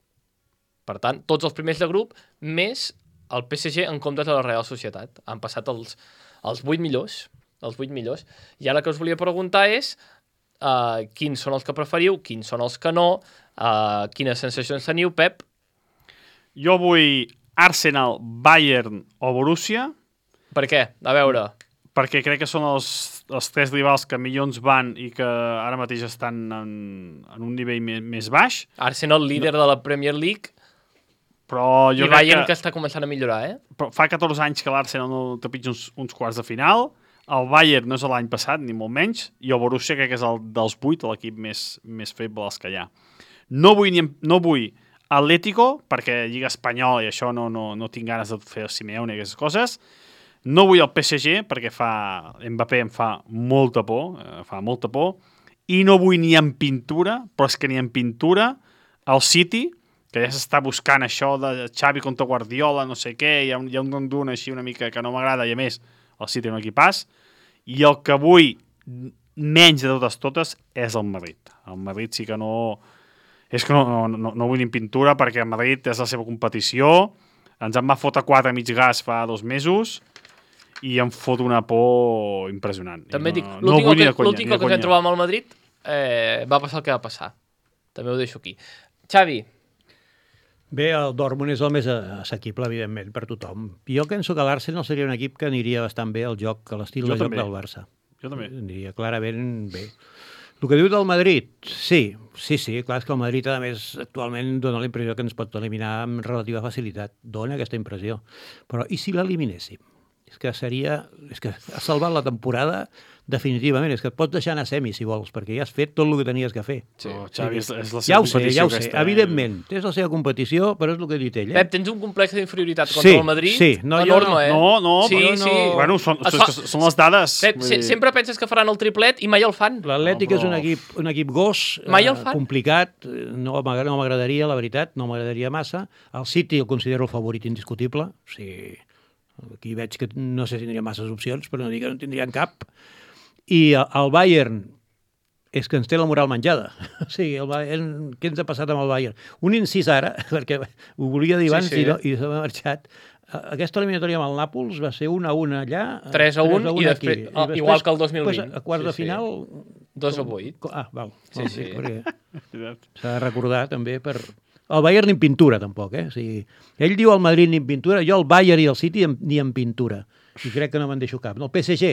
Per tant, tots els primers de grup, més el P S G en comptes de la Real Societat. Han passat els, els vuit millors, els vuit millors. I ara el que us volia preguntar és uh, quins són els que preferiu, quins són els que no, uh, quines sensacions teniu, Pep? Jo vull Arsenal, Bayern o Borussia. Per què? A veure... Perquè crec que són els, els tres rivals que millor ens van i que ara mateix estan en, en un nivell més, més baix. Arsenal, líder no. de la Premier League, però jo i Bayern que, que està començant a millorar, eh? Però fa catorze anys que l'Arsenal no trepitja uns, uns quarts de final, el Bayern no és l'any passat, ni molt menys, i el Borussia crec que és el dels vuit, l'equip més, més feble dels que hi ha. No vull, ni, no vull Atlético, perquè Lliga Espanyola i això no, no, no tinc ganes de fer el Simeone i aquestes coses. No vull el P S G, perquè fa Mbappé em fa molta por, eh, fa molta por, i no vull ni en pintura, però és que ni en pintura, el City, que ja s'està buscant això de Xavi contra Guardiola, no sé què, hi ha un, hi ha un rondun així una mica que no m'agrada, i a més, el City no equipàs, i el que vull menys de totes totes és el Madrid. El Madrid sí que no... És que no, no, no, no vull ni en pintura, perquè el Madrid és la seva competició, ens en va fotre quatre mig gas fa dos mesos, i em fot una por impressionant. També no, dic, no l'últim que, conya, que ens vam trobar amb el Madrid eh, va passar el que va passar. També ho deixo aquí. Xavi. Bé, el Dortmund és el més assequible, evidentment, per tothom. Jo penso que l'Arsenal seria un equip que aniria bastant bé al joc, a l'estil de joc del Barça. Jo també. Aniria clarament bé. El que diu del Madrid, sí, sí, sí, clar, és que el Madrid, a més, actualment dona la impressió que ens pot eliminar amb relativa facilitat. Dona aquesta impressió. Però i si l'eliminéssim? És que seria... És que ha salvat la temporada definitivament. És que et pots deixar anar a semi, si vols, perquè ja has fet tot el que tenies que fer. Sí, oh, Xavi, és, és la seva ja ho sé, competició. Ja ho sé, aquesta, evidentment. És la seva competició, però és el que ha dit ell. Eh? Pep, tens un complex d'inferioritat contra sí, el Madrid? Sí, no, enorme, no. eh? No, no, sí, però sí. no. Bueno, són, fa... són, són les dades. Pep, se, sempre penses que faran el triplet i mai el fan. L'Atlètic no, és un equip, un equip gos, mai el fan. eh, complicat, no m'agradaria, la veritat, no m'agradaria massa. El City el considero el favorit indiscutible, o sigui... Aquí veig que no sé si tindria masses opcions, però no dic que no tindrien cap. I el Bayern és que ens té la moral menjada. O sigui, el Bayern, què ens ha passat amb el Bayern? Un incís ara, perquè ho volia dir abans sí, sí. i, no, i s'ha marxat. Aquesta eliminatòria amb el Nàpols va ser una a una allà. tres a un i després, ah, després, igual que el dos mil vint. Després, a quarts sí, de final... dos a vuit. Ah, val. Sí, sí. S'ha de recordar també per... El Bayern ni en pintura, tampoc, eh? O sigui, ell diu el Madrid ni en pintura, jo el Bayern i el City ni en pintura. I crec que no me'n deixo cap. El P S G,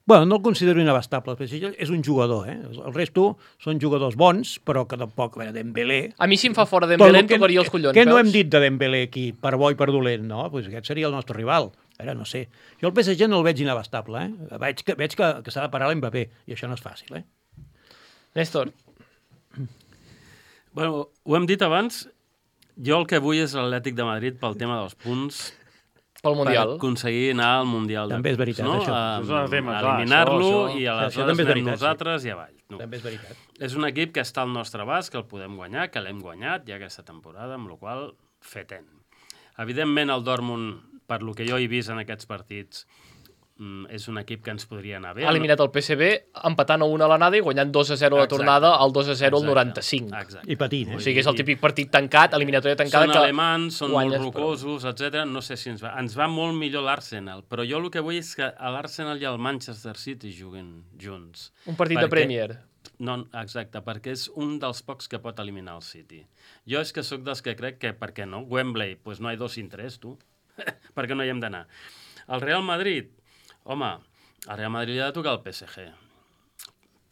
bueno, no el considero inabastable. El P S G és un jugador, eh? El resto són jugadors bons, però que tampoc, a veure, Dembélé... A mi si em fa fora Dembélé em tocaria els collons. Què no hem dit de Dembélé aquí, per bo i per dolent, no? Pues aquest seria el nostre rival. Ara no sé. Jo el P S G no el veig inabastable, eh? Veig que, veig que, que s'ha de parar l'Mbappé, i això no és fàcil, eh? Néstor. Bueno, ho hem dit abans, jo el que vull és l'Atlètic de Madrid pel tema dels punts, pel Mundial. per aconseguir anar al Mundial. També és veritat, no? això. A, és un tema, a clar, eliminar-lo això, això. i aleshores Això també és anem veritat, nosaltres sí. i avall. No. També és veritat. És un equip que està al nostre abast, que el podem guanyar, que l'hem guanyat ja aquesta temporada, amb la qual fetem. Evidentment, el Dortmund, per lo que jo he vist en aquests partits, és un equip que ens podria anar bé. Ha eliminat el P S V empatant a una a l'anada i guanyant dos a zero a la tornada, al dos a zero al noranta-cinc. Exacte. I patint, eh? O sigui, és el típic partit tancat, eliminatòria tancada... Són que alemans, són guanyes, molt rocosos, però... etcètera. No sé si ens va... Ens va molt millor l'Arsenal, però jo el que vull és que l'Arsenal i el Manchester City juguen junts. Un partit perquè... de Premier. No, exacte, perquè és un dels pocs que pot eliminar el City. Jo és que sóc dels que crec que, per què no? Wembley, pues no hay dos sin tres, tu. Per què no hi hem d'anar? El Real Madrid, home, al Real Madrid li ha de tocar el P S G.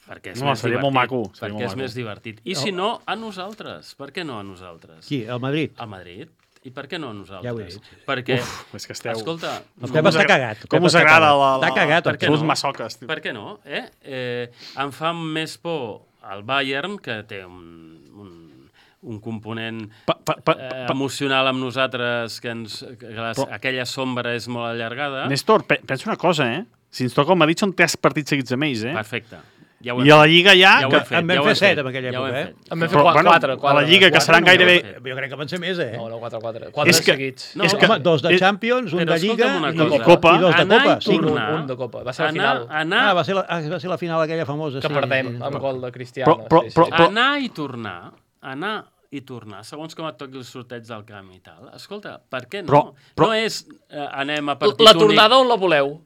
Perquè és no, més seria divertit. molt maco. Seria perquè molt és maco. més divertit. I si no, a nosaltres. Per què no a nosaltres? Qui, el Madrid? Al Madrid. I per què no a nosaltres? Ja ho he dit. Perquè, Uf, és que esteu... escolta... El Pep està cagat. Com us agrada la... Està cagat. Per què Els no? massoques. Per què no? Eh? Eh, em fa més por el Bayern, que té un, un, un component Pa, pa, pa, eh, pa. emocional amb nosaltres, que, ens, que les, Però... aquella sombra és molt allargada. Néstor, pe pensa una cosa, eh? Si ens toca el Madrid són tres partits seguits amb ells, eh? Perfecte. Ja I a la Lliga ja... Ja ho que... hem fet, En vam ja ho fer hem set fet, en aquella ja ho hem època, eh? fet. En vam fer Però, quatre, bueno, quatre, quatre. a la Lliga, que seran gairebé... Jo crec que van ser més, eh? No, no, quatre, quatre. Quatre És que- seguits. No, És és que, que- home, dos de és- Champions, un però de Lliga escolta'm una i, cosa. Copa. i dos de Anar Copa. i Cinc. tornar. Un de Copa. Va ser la anar, final. anar, Ah, va ser, la, ah, va ser la final aquella famosa. Que sí, perdem sí. amb gol de Cristiano. Però- però- sí, sí. però- anar i tornar, anar i tornar, segons com et toqui el sorteig del camp i tal. Escolta, per què no? Però, però... No és eh, anem a partit La únic. tornada on la voleu?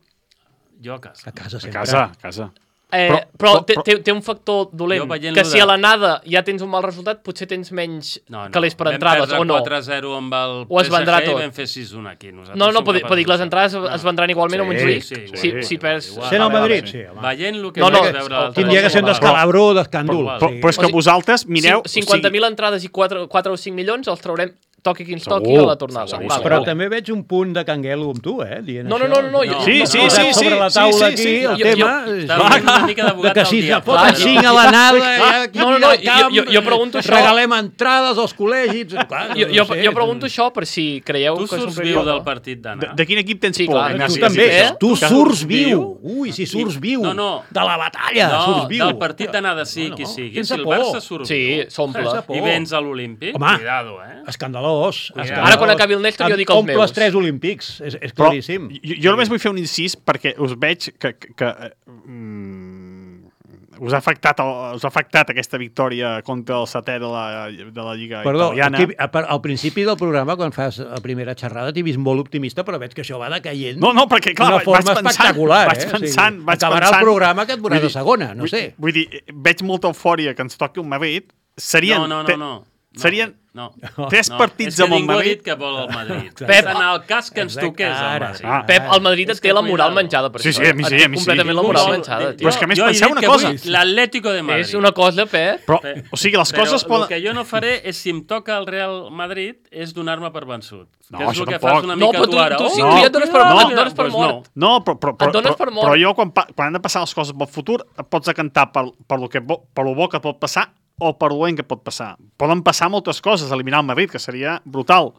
Jo a casa. A casa A sempre. casa, a casa. Eh, Però- però però- té, però- té, té un factor dolent, Jo veient-lo que si de- a l'anada ja tens un mal resultat, potser tens menys No, no. calés per entrades, o no? Vam perdre quatre a zero amb el O es vendrà P S G tot? i vam fer sis a un aquí. Nosaltres No, no, som pot dir, capaços pot dir que les d'això. entrades No. es vendran igualment a Montjuïc. Sí, sí, si, igual, si igual, perds... igual. Sent el Vale, Madrid, vale. sí, home. Veient el que No, no, vaig veure l'altre Tindria que ser un dia. descalabró d'escàndol. Però, però és que O sigui, vosaltres mireu... Cin- cinquanta mil entrades i quatre o cinc milions els traurem toqui qui ens Segur, toqui a la tornada. segur, Vale, Però vale. també veig un punt de canguelo amb tu, eh? Dient No, no, això. no, no, no, jo- Sí, no, sí, no, sí, Posat sí. sobre la taula sí, aquí sí. el Jo- tema... jo- Estava fent una mica de d'abogat que del si diable. foten cinc a l'anada, ja aquí No, no, no, no, al camp, jo- jo- jo pregunto això. regalem entrades als col·legis... Clar, Jo, no jo, sé, jo pregunto això per si creieu Tu que surts som viu del partit De, d'anar. de quin equip tens Sí, por? clar, Ignasi? Tu també, Eh? tu Que surts viu. Ui, si I- surts viu. no, no. De la batalla, No, surts viu. del partit d'anar de sí No, qui no, sigui. sense Si el por. Barça surt Sí, viu s'omple. Sense por. i vens a l'Olímpic, Home. cuidado, eh? Escandalós. Cuidado. escandalós. Ara, quan acabi el Néstor, jo dic els Omples meus. tres olímpics, és, és Però claríssim. jo, jo només vull fer un incís perquè us veig que, que, que eh, mm, us, ha afectat el, us ha afectat aquesta victòria contra el setè de la, de la Lliga Perdó, italiana. aquí, a- per- al principi del programa, quan fas la primera xerrada, t'he vist molt optimista, però veig que això va decaient No, no, perquè clar, d'una vaig forma pensant, espectacular. vaig eh? pensant, vaig acabarà pensant, el programa que et veuràs vull a segona, no vull, sé. Vull dir, veig molta eufòria que ens toqui un Madrid. Serien, No, no, no, te- no. serien no. tres No, partits és que amb el ningú ha Madrid. dit que vol el Madrid. Pep, És en el cas que ens exacte, toqués el ara, Madrid. Ah. Pep, el Madrid És et té que la moral cuidado. menjada per Sí, això. sí, a mi Et sí, té a mi sí. completament la Ningú moral vol- menjada, Jo- tio. Però és que a més jo he penseu dit una que cosa. vull l'Atlético de Madrid. És una cosa, Pep. Però, Pe- o sigui, les Però coses el poden... que jo no faré és, si em toca el Real Madrid, és donar-me per vençut. No, que és això el que tampoc. fas una No, mica però tu tu, ara. tu sí, No. tu ja et dones per, No. et dones per Pues mort. no. No, però, però, Et dones però, per mort. però jo, quan, pa- quan han de passar les coses pel futur, et pots decantar per, per, lo que, bo- per lo bo que pot passar o per lo dolent que pot passar. Poden passar moltes coses, eliminar el Madrid, que seria brutal.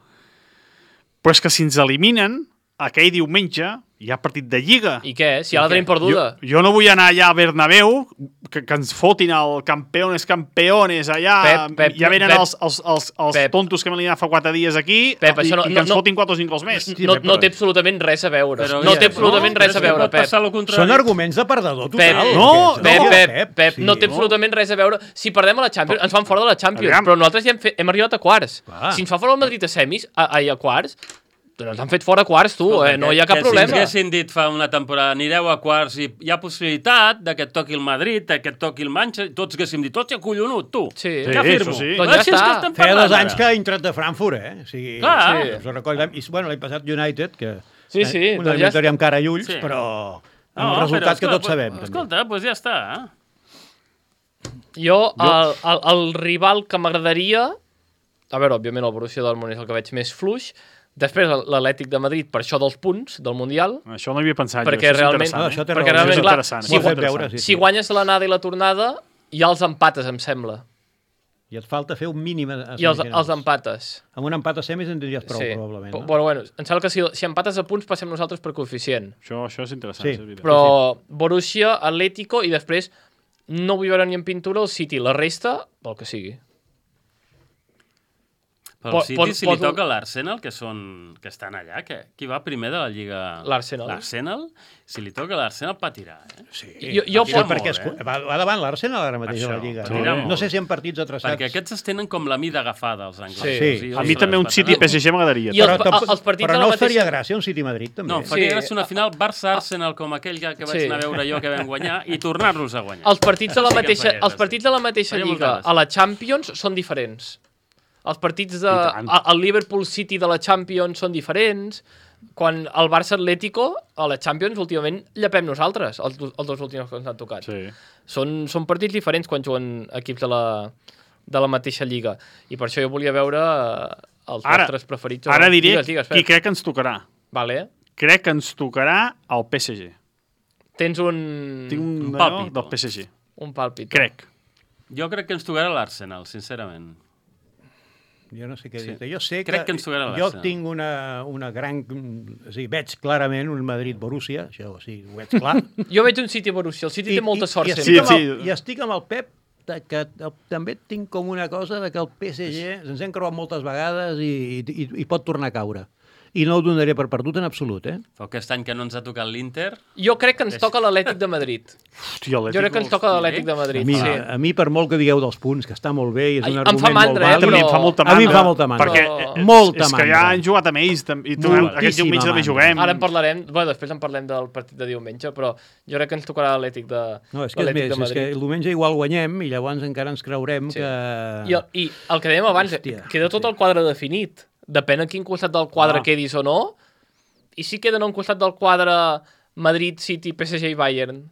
Però és que si ens eliminen, aquell diumenge hi ha partit de Lliga. I què? Si ja la tenim perduda. Jo, jo no vull anar allà a Bernabéu, que, que ens fotin el campeones, campeones allà. Pep, Pep, ja venen Pep, els, els, els, els Pep. tontos que m'han eliminat fa quatre dies aquí Pep, i, això no- i que no- ens no- fotin quatre o cinc gols més. No, no té absolutament res a veure. Però, No ja, té absolutament no, res a però és que veure, pot Pep. passar lo contrari. Són arguments de perdedor total. Pep, No, aquests, Pep, no, Pep, Pep, sí, no té no? absolutament res a veure. Si perdem a la Champions, ens fan fora de la Champions, Aviam. però nosaltres ja hem, fet, hem arribat a quarts. Clar. Si ens fa fora el Madrid a semis, a, a, a quarts, ens han fet fora a quarts, tu, eh? No hi ha cap que problema. Si ens haguessin dit fa una temporada anireu a quarts i hi ha possibilitat de que et toqui el Madrid, de que et toqui el Manchester, tots haguéssim dit, hòstia, collonut, tu. Sí. Què Sí, afirmo? això sí. Doncs ja Així és està. que estem Feia parlant dos anys ara. que ha entrat de Frankfurt, eh? O sigui, Clar. sí, us ho recordem. I, bueno, l'any passat United, que Sí, sí, eh, una doncs ja victòria amb cara i ulls, Sí. però amb No, els resultats però, que tots escolta, sabem. també. Escolta, doncs pues ja està. Eh? Jo, el, el, el rival que m'agradaria... A veure, òbviament el Borussia Dortmund és el que veig més fluix. Després l'Atlètic de Madrid, per això dels punts del Mundial. Això no hi havia pensat Perquè jo, això és realment- interessant. Ah, eh? això té perquè raó, realment, això és clar, interessant, si M'ho has això és fet veure, interessant. sí, sí. Si guanyes l'anada i la tornada, ja els empates, em sembla. I et falta fer un mínim a, a I els, semifinals. els empates. Amb un empat a semis en tindries prou, sí. probablement. Però, No? bueno, bueno, em sembla que si, si empates a punts passem nosaltres per coeficient. Això, això és interessant. Sí. això és veritat. Però Borussia, Atlético i després no vull veure ni en pintura el City. La resta, pel que sigui. Pel Po- City, po- si li poso- toca l'Arsenal, que són que estan allà, que, qui va primer de la Lliga? L'Arsenal. L'Arsenal? Si li toca l'Arsenal, patirà, eh? Sí, Jo- jo sí, pot- perquè es, molt, eh? va, va davant l'Arsenal ara mateix a la Això, Lliga. patirà No, molt. no sé si en partits atrasats. Perquè aquests es tenen com la mida agafada, els anglesos. Sí. Sí. A mi també un City P S G m'agradaria. I els- Però, tampoc- els partits però de la no us mateixa- faria gràcia un City-Madrid, també. No, em faria Sí. gràcia una final Barça-Arsenal com aquell que, que vaig Sí. anar a veure jo que vam guanyar i tornar-los a guanyar. Els partits de la Sí que em mateixa, faria els gràcia. partits de la mateixa Faria molta lliga gràcia. a la Champions són diferents. Els partits de... I tant. a- El Liverpool City de la Champions són diferents. Quan el Barça Atlético a la Champions últimament llepem nosaltres, els, do- els dos últims que ens han tocat. Sí. Són, són partits diferents quan juguen equips de la, de la mateixa lliga. I per això jo volia veure eh, els Ara, nostres preferits. o ara no. diré Digues, digues, qui Pep. crec que ens tocarà. Vale. Crec que ens tocarà el P S G. Tens un... Tinc un, Un un pàlpit. del P S G. un pàlpit. Crec. Jo crec que ens tocarà l'Arsenal, sincerament. Jo no sé què Sí. dir. Jo sé Crec que, que ens tocarà jo l'Arsenal. tinc una, una gran... O sigui, veig clarament un Madrid-Borussia, això o sigui, ho veig clar. Jo veig un City Borussia. El City té molta sort i, sempre. estic Sí, amb el, sí. I estic amb el Pep, de, que el, també tinc com una cosa de que el P S G ens hem creuat moltes vegades i, i, i pot tornar a caure. i no ho donaré per perdut en absolut, eh? Però aquest any que no ens ha tocat l'Inter... Jo crec que ens toca l'Atlètic de Madrid. Hòstia, Jo crec que ens toca l'Atlètic de Madrid. A mi, Sí. a mi, per molt que digueu dels punts, que està molt bé i és Ai, un em argument fa mandra, molt eh, vàlid, També em fa molta a mandra. mi em fa molta mandra. Perquè Però- és, Molta és que ja mandra. han jugat amb ells tam- i tu, Moltíssima aquest diumenge també mandra. juguem. Ara en parlarem, bueno, després en parlem del partit de diumenge, però jo crec que ens tocarà l'Atlètic de, No, és que és l'Atlètic més, de és Madrid. que el diumenge igual guanyem i llavors encara ens creurem Sí. que... I, el- I el que dèiem abans, Hòstia, queda tot sí. el quadre definit. Depèn a quin costat del quadre Ah. quedis o no. I si queden a un costat del quadre Madrid, City, P S G i Bayern,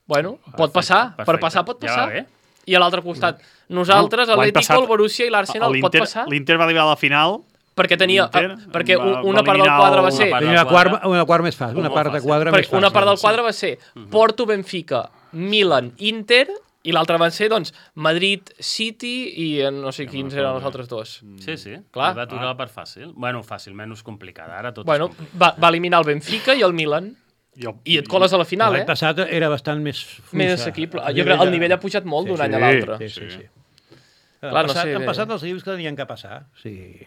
bueno, pot passar. Per passar pot Ja passar. va bé. I a l'altre costat, nosaltres, L'any l'Atlético, passat, el Borussia i l'Arsenal, pot l'Inter- passar? L'Inter va arribar a la final. Perquè tenia... l'Inter perquè va- una va part del eliminar quadre va una ser... part. Tenia una quart, una quart més fàcil, una Molt part de fàcil. quadre més Perquè fàcil. una part del quadre va ser Porto, Benfica, Milan, Inter, i l'altra van ser, doncs, Madrid, City i eh, no sé quins eren els altres dos. Sí, sí. Clar. Li va tocar la part fàcil. Bueno, fàcil, menys complicada. Ara tot Bueno, és complicat. va, va eliminar el Benfica i el Milan. I, el, I et coles a la final, L'any eh? passat era bastant més fluixa. Més assequible. A Jo crec que el de- nivell ha pujat molt d'un Sí, any a sí. l'altre. Sí, sí, sí. Clar, Han no passat, sé, han bé. passat els equips que tenien que passar. Sí.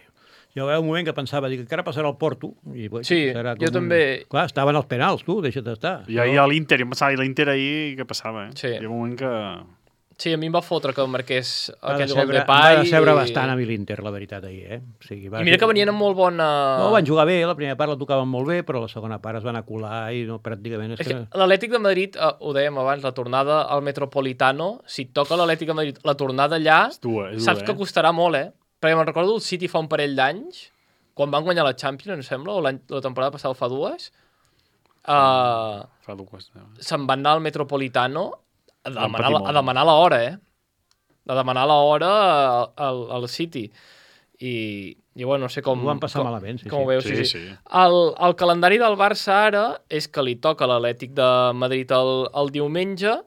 Jo va haver un moment que pensava, dic, encara passarà el Porto. I, bueno, Sí, serà jo com també. Clar, estaven els penals, tu, deixa't estar. I ahir a l'Inter, jo em pensava, i l'Inter ahir, què passava, eh? Sí. Hi ha un moment que... Sí, a mi em va fotre que marqués Va aquell decebre, gol de em Pai. va decebre i... bastant a mi l'Inter, la veritat, ahir, eh? O sigui, va I mira ser- que venien amb molt bona... No, van jugar bé, la primera part la tocaven molt bé, però la segona part es van acular i no, pràcticament... És És que... que l'Atlètic de Madrid, eh, ho dèiem abans, la tornada al Metropolitano, si et toca l'Atlètic de Madrid, la tornada allà, És dura, és saps dura, que eh? costarà molt, eh? Perquè me'n recordo el City fa un parell d'anys, quan van guanyar la Champions, em sembla, o l'any- la temporada passada fa dues, uh, Fa dues. se'n van anar al Metropolitano a Van demanar, patir la- molt. a demanar l'hora, eh? A demanar l'hora al, al City. I, i bueno, no sé com... Ho van passar com, malament, sí, com sí. ho veus, Sí, sí, sí. sí. El, el calendari del Barça ara és que li toca l'Atlètic de Madrid el, el diumenge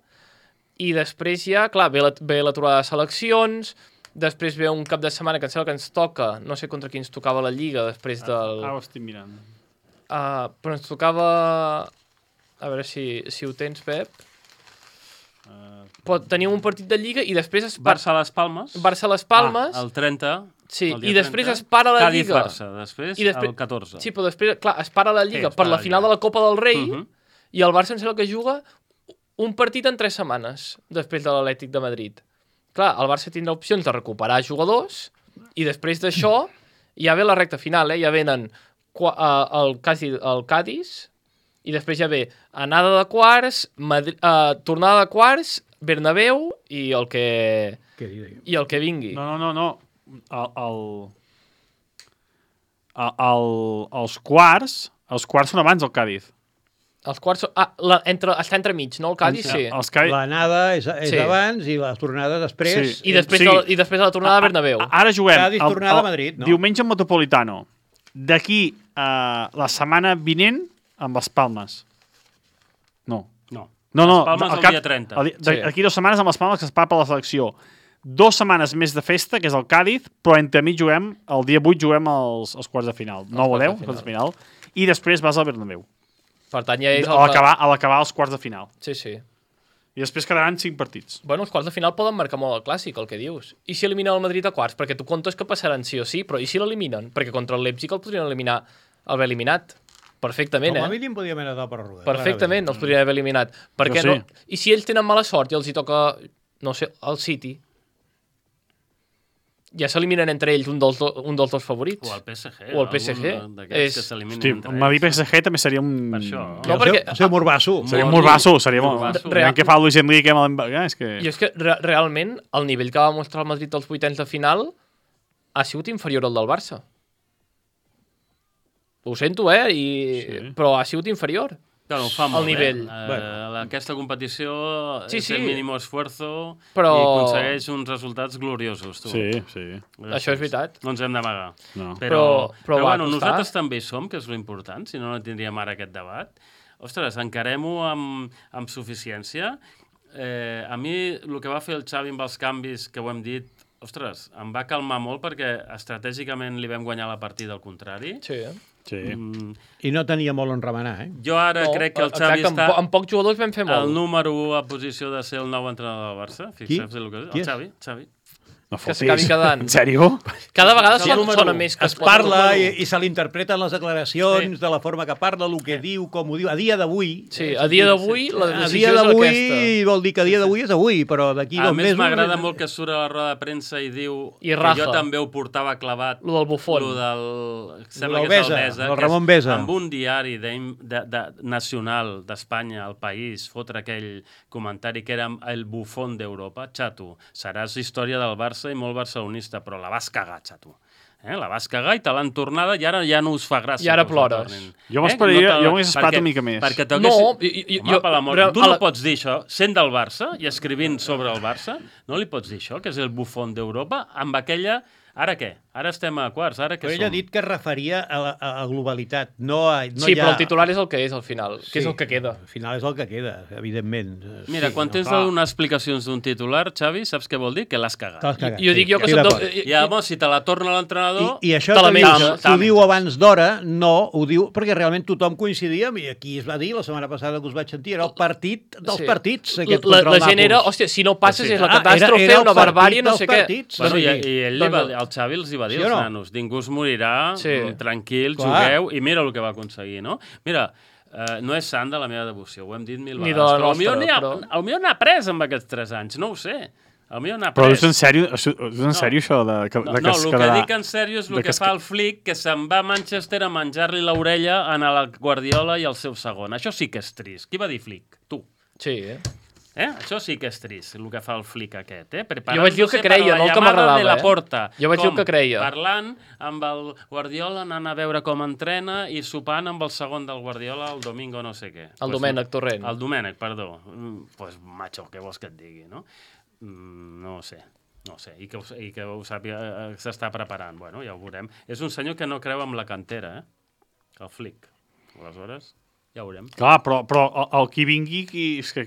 i després ja, clar, ve la, ve la trobada de seleccions, després ve un cap de setmana que em sembla que ens toca, no sé contra qui ens tocava la Lliga després del... Ah, ho estic mirant. Uh, però ens tocava... A veure si, si ho tens, Pep. Uh, Pot tenir un partit de Lliga i després es par... Barça a les Palmes. Barça-Les Palmes. Ah, el trenta. Sí, el dia i després trenta. es para la Cádiz, Lliga. Barça, després, I després- el catorze. Sí, però després, clar, es para la Lliga Sí, es per para la la final Lliga. de la Copa del Rei Mhm. i el Barça em sembla que juga un partit en tres setmanes després de l'Atlètic de Madrid. Clar, el Barça tindrà opcions de recuperar jugadors i després d'això ja ve la recta final, eh? Ja venen qua- uh, el, Cádiz, el Cádiz i després ja ve anada de quarts, Madri uh, tornada de quarts, Bernabéu i el que, Què dir? i el que vingui. no, no, no, no. El, el, el, el, els quarts, els quarts són abans del Cádiz. Els quarts... són- Ah, la, entre, està entremig, no? El Cádiz, sí. Els Cádiz... L'anada és, és Sí. abans i la tornada després. Sí. I després, Sí. de, I després de la tornada a Bernabéu. A- Ara juguem Cádiz, tornada a Madrid, no? diumenge al Metropolitano. D'aquí a la setmana vinent amb les Palmes. No. No. No, no. Les Palmes al el cap- dia trenta. el di- Sí. D'aquí dues setmanes amb les Palmes que es para per la selecció. Dos setmanes més de festa, que és el Cádiz, però entre mig juguem, el dia vuit juguem els, els quarts de final. nou o quarts deu, de quarts de final. I després vas al Bernabéu. Per tant, ja és... A el- l'acabar a l'acabar els quarts de final. Sí, sí. I després quedaran cinc partits. Bueno, els quarts de final poden marcar molt el clàssic, el que dius. I si eliminen el Madrid a quarts? Perquè tu comptes que passaran sí o sí, però i si l'eliminen? Perquè contra el Leipzig el podrien eliminar, haver eliminat. Perfectament, Com a eh? mínim podíem anar de pròrroga. Perfectament, els podrien haver eliminat. Per Jo què sí. no? I si ells tenen mala sort i els hi toca, no sé, el City, ja s'eliminen entre ells un dels, do, un dels dos favorits. O el P S G. O el P S G. algun d'aquests És- que s'eliminen Hosti, entre el Madrid-P ells. S G també seria un... Per això. No, No, perquè- perquè... El seu Morbasso. Seria un Molt morbasso, seria molt... Morbasso. Real... que fa Luis Enrique amb el... És que... I és que re realment el nivell que va mostrar el Madrid als vuitens de final ha sigut inferior al del Barça. Ho sento, eh? I... Sí. Però ha sigut inferior. Bueno, ho fa el molt nivell. bé. Eh, Bueno. Aquesta competició Sí, és sí. el mínim esfuerzo Però- i aconsegueix uns resultats gloriosos. Tu. Sí, sí. Això és veritat. No ens hem d'amagar. No. Però, Però- però però, va bueno, costar. nosaltres també hi som, que és lo important, si no, no tindríem ara aquest debat. Ostres, encarem-ho amb, amb suficiència. Eh, a mi, el que va fer el Xavi amb els canvis, que ho hem dit, ostres, em va calmar molt perquè estratègicament li vam guanyar la partida al contrari. Sí, eh? Sí. Mm, I no tenia molt on remenar, eh? jo ara No, crec que el exacte, Xavi amb, està po amb pocs jugadors vam fer molt. el número u a posició de ser el nou entrenador del Barça. Fixeu-vos el que és. Qui El és? Xavi. Xavi. No que fotis. s'acabi quedant. En sèrio? Cada vegada Sí, sona, número sona u. més que es es pot- parla i, i se l'interpreten les declaracions Sí. de la forma que parla, el que diu, com ho diu. A dia d'avui... Sí, a dia d'avui la A decisió dia és d'avui aquesta. vol dir que a dia d'avui és avui, però d'aquí A dos més, mesos... m'agrada molt que surt a la roda de premsa i diu I que raja. jo també ho portava clavat. Lo del Buffon. Lo del... Sembla Lo que del és el Besa, Besa. del que Ramon és Besa. Amb un diari de, de, de, nacional d'Espanya, el País, fotre aquell comentari que era el bufón d'Europa. Xato, seràs història del Barça i molt barcelonista, però la vas cagar, xato. Eh? La vas cagar i te l'han tornada i ara ja no us fa gràcia. I ara que us la plores. tornin. Jo m'esperaria- te la- jo m'hagués esperat perquè- una mica més. Perquè t'hagués... No, i- i- Home, jo- per l'amor... però Tu a no la- pots dir això, sent del Barça i escrivint sobre el Barça, no li pots dir això, que és el bufón d'Europa, amb aquella... Ara què? Ara estem a quarts, ara què Però som? ell ha dit que es referia a la a, a globalitat, no a... No Sí, hi ha... però el titular és el que és al final, que és el que queda. Al final és el que queda, evidentment. Mira, sí, quan no, tens de clar. donar explicacions d'un titular, Xavi, saps què vol dir? Que l'has cagat. T'has cagat, Jo dic jo que estic soc d'acord. de... I llavors, si te la torna l'entrenador... I, I això te la que dius, menges. que ho diu abans d'hora, no, ho diu perquè realment tothom coincidia, i aquí es va dir la setmana passada que us vaig sentir, era el partit dels Sí. partits. La, Aquest la, contra el la gent Nàpols. era, hòstia, si no passes Sí. és la Ah, catàstrofe, era- era el una partit barbàrie, no dels sé què. partits. Bueno, i, Sí. i ell li va, Doncs- el Xavi els hi va dir Sí o als no? nanos, ningú es morirà, Sí. mm, tranquil, Clar. jugueu, i mira el que va aconseguir, no? Mira, eh, no és sant de la meva devoció, ho hem dit mil Ni vegades, de la però nostra, el millor però- el millor n'ha pres amb aquests tres anys, no ho sé. El millor n'ha Però pres. és en sèrio, és en sèrio això de, que, No, de que no, es el que quedarà... dic en sèrio és el de que, que es fa el Flick, que se'n va a Manchester a menjar-li l'orella a la Guardiola i el seu segon. Això sí que és trist. Qui va dir Flick? Tu. Sí, eh? Eh? Això sí que és trist, el que fa el Flick aquest. Eh? Jo vaig dir el que creia, no el que m'agradava, de la eh? porta. Jo vaig dir el Com? que creia. Parlant amb el Guardiola, anant a veure com entrena i sopant amb el segon del Guardiola el domingo no sé què. El Domènec Torrent. El Domènec, perdó. Mm, pues, macho, què vols que et digui, no? Mm, no ho sé. No ho sé, i que ho, i que ho sàpiga, eh, s'està preparant. Bueno, ja ho veurem. És un senyor que no creu en la cantera, eh? El Flick. Aleshores, ja ho veurem. Clar, però, però el, el qui vingui, qui, és que,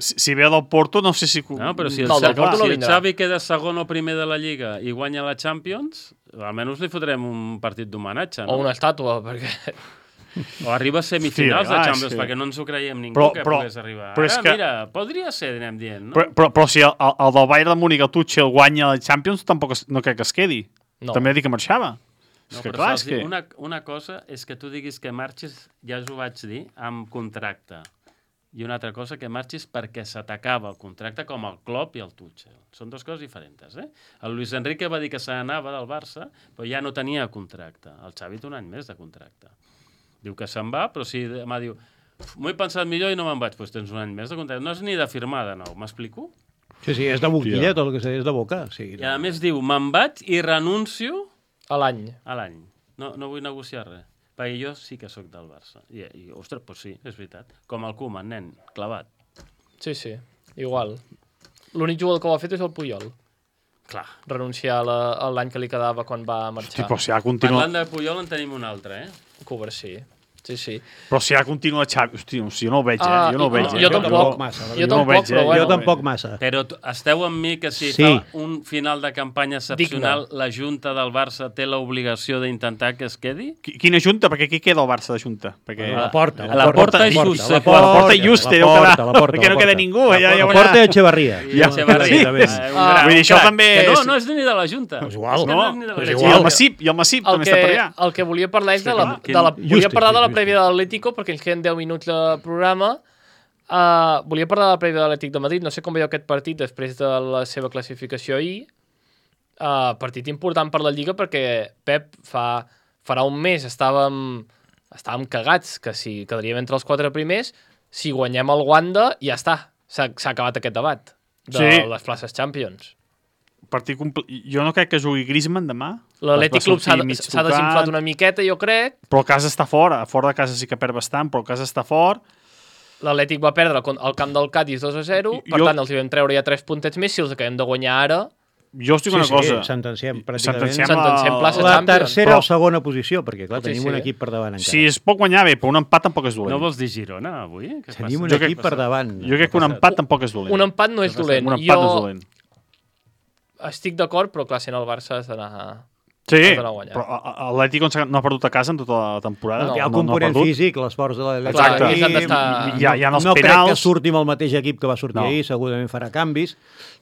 si, si ve del Porto, no sé si... No, però si el, No, del Xavi, Porto no si el vindrà. Xavi queda segon o primer de la Lliga i guanya la Champions, almenys li fotrem un partit d'homenatge, no? O una estàtua, perquè... O arriba a semifinals Sí, de ah, Champions, sí. perquè no ens ho creiem ningú Però- que però- pogués arribar. però és Ara, que- mira, podria ser, anem dient, no? Però, però, però si el, el, el del Bayern de Múnich, el Tuchel, guanya la Champions, tampoc es, no crec que es quedi. No. També ha dit que marxava. No, és que però clar, saps és que... dir, una, una cosa és que tu diguis que marxis, ja us ho vaig dir, amb contracte. I una altra cosa que marxis perquè se t'acaba el contracte, com el Klopp i el Tuchel. Són dues coses diferents, eh? El Luis Enrique va dir que se n'anava del Barça, però ja no tenia contracte. El Xavi té un any més de contracte. Diu que se'n va, però si demà diu m'ho he pensat millor i no me'n vaig, doncs tens un any més de contracte. No és ni de firmar de nou, m'explico? Sí, sí, és de boquilla, tot el que sé, és de boca. Sí, I a més diu, me'n vaig i renuncio A l'any. a l'any. No, no vull negociar res. Perquè jo sí que sóc del Barça. I, i ostres, doncs sí, és veritat. Com el Koeman, nen, clavat. Sí, sí, igual. L'únic jugador que ho ha fet és el Puyol. Clar. Renunciar a la- a l'any que li quedava quan va marxar. Hosti, però si ha continua... Parlant de Puyol en tenim un altre, eh? Cover, sí. Sí, sí. Però si ha continua Xavi... Hosti, no, jo no ho veig, eh? Ah, Jo no ho i- veig, jo eh? tampoc. massa, Jo jo no ho tampoc, veig, eh? però Jo bueno. tampoc massa. Però t- esteu amb mi que si Sí. fa un final de campanya excepcional, la Junta del Barça té l'obligació d'intentar que es quedi? Qui- Quina junta? Perquè qui queda el Barça de junta? Perquè... La porta, A la porta és just, la la porta, La porta i just, la deu porta, quedar, la porta, perquè la no queda porta. ningú. Ja, ja La veurà. porta i Echevarria. I Echevarria. sí. Eh, un Ah, gran Vull dir, això crac. també Que no, és- no és ni de la Junta. És igual. És que No, és ni de la és I igual. el Massip, i el Massip El també que, està per allà. el que volia parlar és de la, clar, de la, quin- volia parlar de la Justi, prèvia de l'Atlético, perquè ens queden deu minuts de programa. Uh, volia parlar de la prèvia de l'Atlètic de Madrid. No sé com veieu aquest partit després de la seva classificació ahir. Uh, partit important per la Lliga perquè Pep fa, farà un mes estàvem, estàvem cagats que si quedaríem entre els quatre primers, si guanyem el Wanda ja està, s'ha s'ha acabat aquest debat de Sí. les places Champions. Partit compl... Jo no crec que jugui Griezmann demà. L'Atlètic Va Club s'ha sortir mig s'ha tocat, desinflat una miqueta, jo crec. Però el casa està fora. Fora de casa sí que perd bastant, però el casa està fort. L'Atlètic va perdre con- al camp del Cádiz dos a zero, per Jo- tant els hi vam treure ja tres puntets més, si els acabem de guanyar ara, Jo us dic una cosa. sentenciem pràcticament. Sentenciem sentenciem la- plaça La Champions. tercera Però- o segona posició, perquè clar, Sí, tenim sí. un equip per davant encara. Si es pot guanyar bé, però un empat tampoc és dolent. No vols dir Girona, avui? Què Tenim passa? un Jo equip crec- per davant. Jo crec que un empat tampoc és dolent. un empat no és dolent. Un empat no és Jo dolent. estic d'acord, però clar, sent el Barça has d'anar Sí, has d'anar a guanyar. però l'Atlético no ha perdut a casa en tota la temporada. No, Hi ha el no, component no ha perdut. físic, l'esforç de l'Atlètic. Clar, Exacte. ells han d'estar- Hi ha, hi ha els no crec que penals. surti amb el mateix equip que va sortir No. ahir, segurament farà canvis.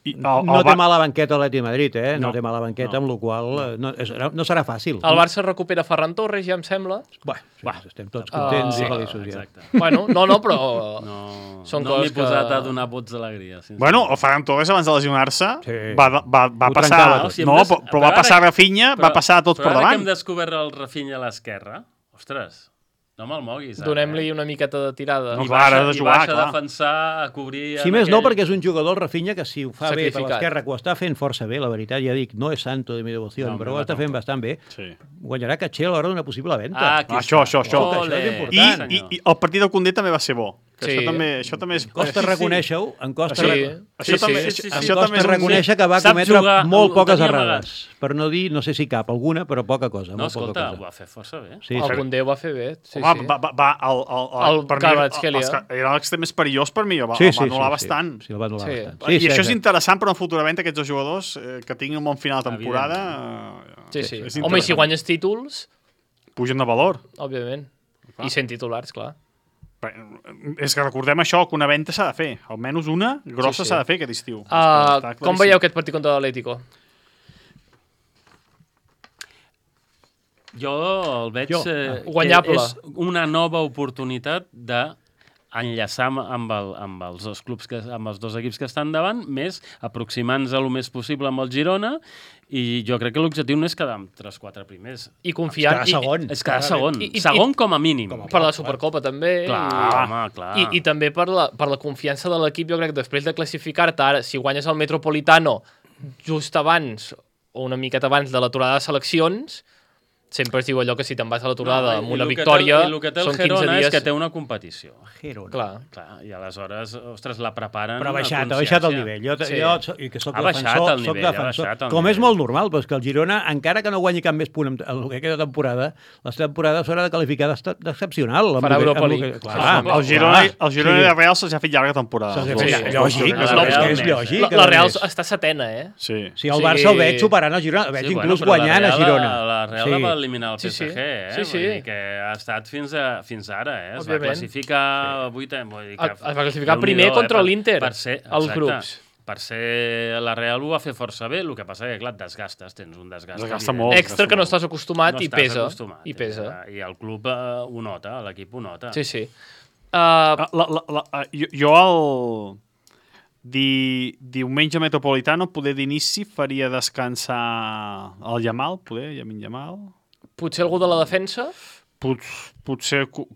I el, No el, té Bar- mala banqueta l'Atlètic de Madrid, eh? No, No. té mala banqueta, No. amb la qual cosa no, és, no serà fàcil. El Barça recupera Ferran Torres, ja em sembla. Bueno, sí, Va. estem tots contents Ah, i feliços ja. Exacte. Bueno, no, no, però... No, Són no m'he coses que- posat a donar vots d'alegria. sincerament. Bueno, el Ferran Torres abans de lesionar-se Sí. va, va, va Ho passar... trencava tot. O sigui, No, hem des- però, però va ara- passar Rafinha, va passar a tots però per ara davant. que hem descobert el Rafinha a l'esquerra, ostres, no me'l moguis. ara, Donem-li eh? una miqueta de tirada. No, I clar, baixa, ha de i jugar, baixa clar. a defensar, a cobrir... Si en més no, aquell- perquè és un jugador, el Rafinha, que si ho fa bé per Sacrificat. l'esquerra, que ho està fent força bé, la veritat, ja dic, no és santo de mi devoció, No, però no, ho està no. fent bastant bé, Sí. guanyarà caché a l'hora d'una possible venda. Ah, aquí Ah, això, està. això, això. Ole. Això és I, important. i, I el partit del Condé també va ser bo. Que Sí. Això també, això també és... Costa sí, sí. reconèixer-ho, em costa, Sí. re- Això Sí, també, sí, això, sí, sí. això em també és costa un... reconèixer que va Sap cometre jugar, molt ho poques tenia errades. Per no dir, no sé si cap, alguna, però poca cosa. No, molt poca escolta, ho cosa. va fer força bé. Sí, El sí. Condé ho va fer bé. Sí, Home, sí. va, va, va, el, el, El per mi, Kvaratskhelia. els que- era l'extrem més perillós per mi, el va, Sí, el sí, va sí, anul·lar sí, bastant. Sí, el va anul·lar Sí. bastant. I Sí, això és sí, interessant per un futurament aquests dos jugadors eh, que tinguin un bon final de temporada. Sí, sí. És Home, i si interessant. guanyes títols, Pugen de valor. òbviament. Clar. I sent titulars, clar. Bé, És que recordem això, que una venda s'ha de fer. Almenys una grossa Sí, sí. s'ha de fer aquest estiu. Uh, Està com claríssim. veieu aquest partit contra l'Atlético? Jo el veig Jo, eh, ah. Guanyable. que és una nova oportunitat de enllaçar amb, amb, el, amb els dos clubs que, amb els dos equips que estan davant, més aproximant-nos el més possible amb el Girona, i jo crec que l'objectiu no és quedar amb tres quatre primers. I confiant... Quedar segon. És quedar segon. I- i- segon com a mínim. Per la Supercopa, també. Clar, i... home, clar. I, I també per la, per la confiança de l'equip, jo crec que després de classificar-te ara, si guanyes el Metropolitano just abans o una miqueta abans de l'aturada de seleccions, sempre es diu allò que si te'n vas a l'aturada No, amb i una el que victòria, té, i el que té el són quinze Girona dies... és que té una competició. Girona. Clar. Clar, i aleshores, ostres, la preparen... Però ha a baixat, ha consciència. baixat el nivell. Jo, Sí. jo so- i que soc Ha baixat defensor, el soc nivell, ha defensor. baixat el Com és nivell. molt normal, però és que el Girona, encara que no guanyi cap més punt en en el que queda de temporada, la temporada s'haurà de qualificar d'exta- d'excepcional. amb Farà el que- Europa amb el que- League. Clar, Ah, El Girona, clar. el Girona Sí. i el Real se'ls ha fet llarga temporada. Se'ls ha Els fet dos. llarga. Els dos Lògic, jugadors. és la que Real és més. lògic. La, a la més. Real està setena, eh? Sí. Si el Sí. Barça el veig superant el Girona, el veig Sí, inclús bueno, però guanyant la a Real, Girona. La Real Sí. va eliminar el Sí, P S G, sí. eh? Sí, sí. Vull dir que ha estat fins, a, fins ara, eh? Es Òbviament. va classificar sí. vuitè. Vull dir que, Es va classificar Déu-n'hi-do, primer contra per- l'Inter, per ser- als exacte. grups. Per ser la Real ho va fer força bé, el que passa que, clar, et desgastes, tens un desgast. Desgasta evident. molt. Extra que no estàs acostumat No i estàs pesa. acostumat, I pesa. I el club eh, ho nota, l'equip ho nota. Sí, sí. Uh, Ah, La, la, la, ah, jo, jo el di, diumenge metropolitano, poder d'inici, faria descansar el Yamal, poder, Yamin Yamal. potser algú de la defensa? Pot, potser... cu-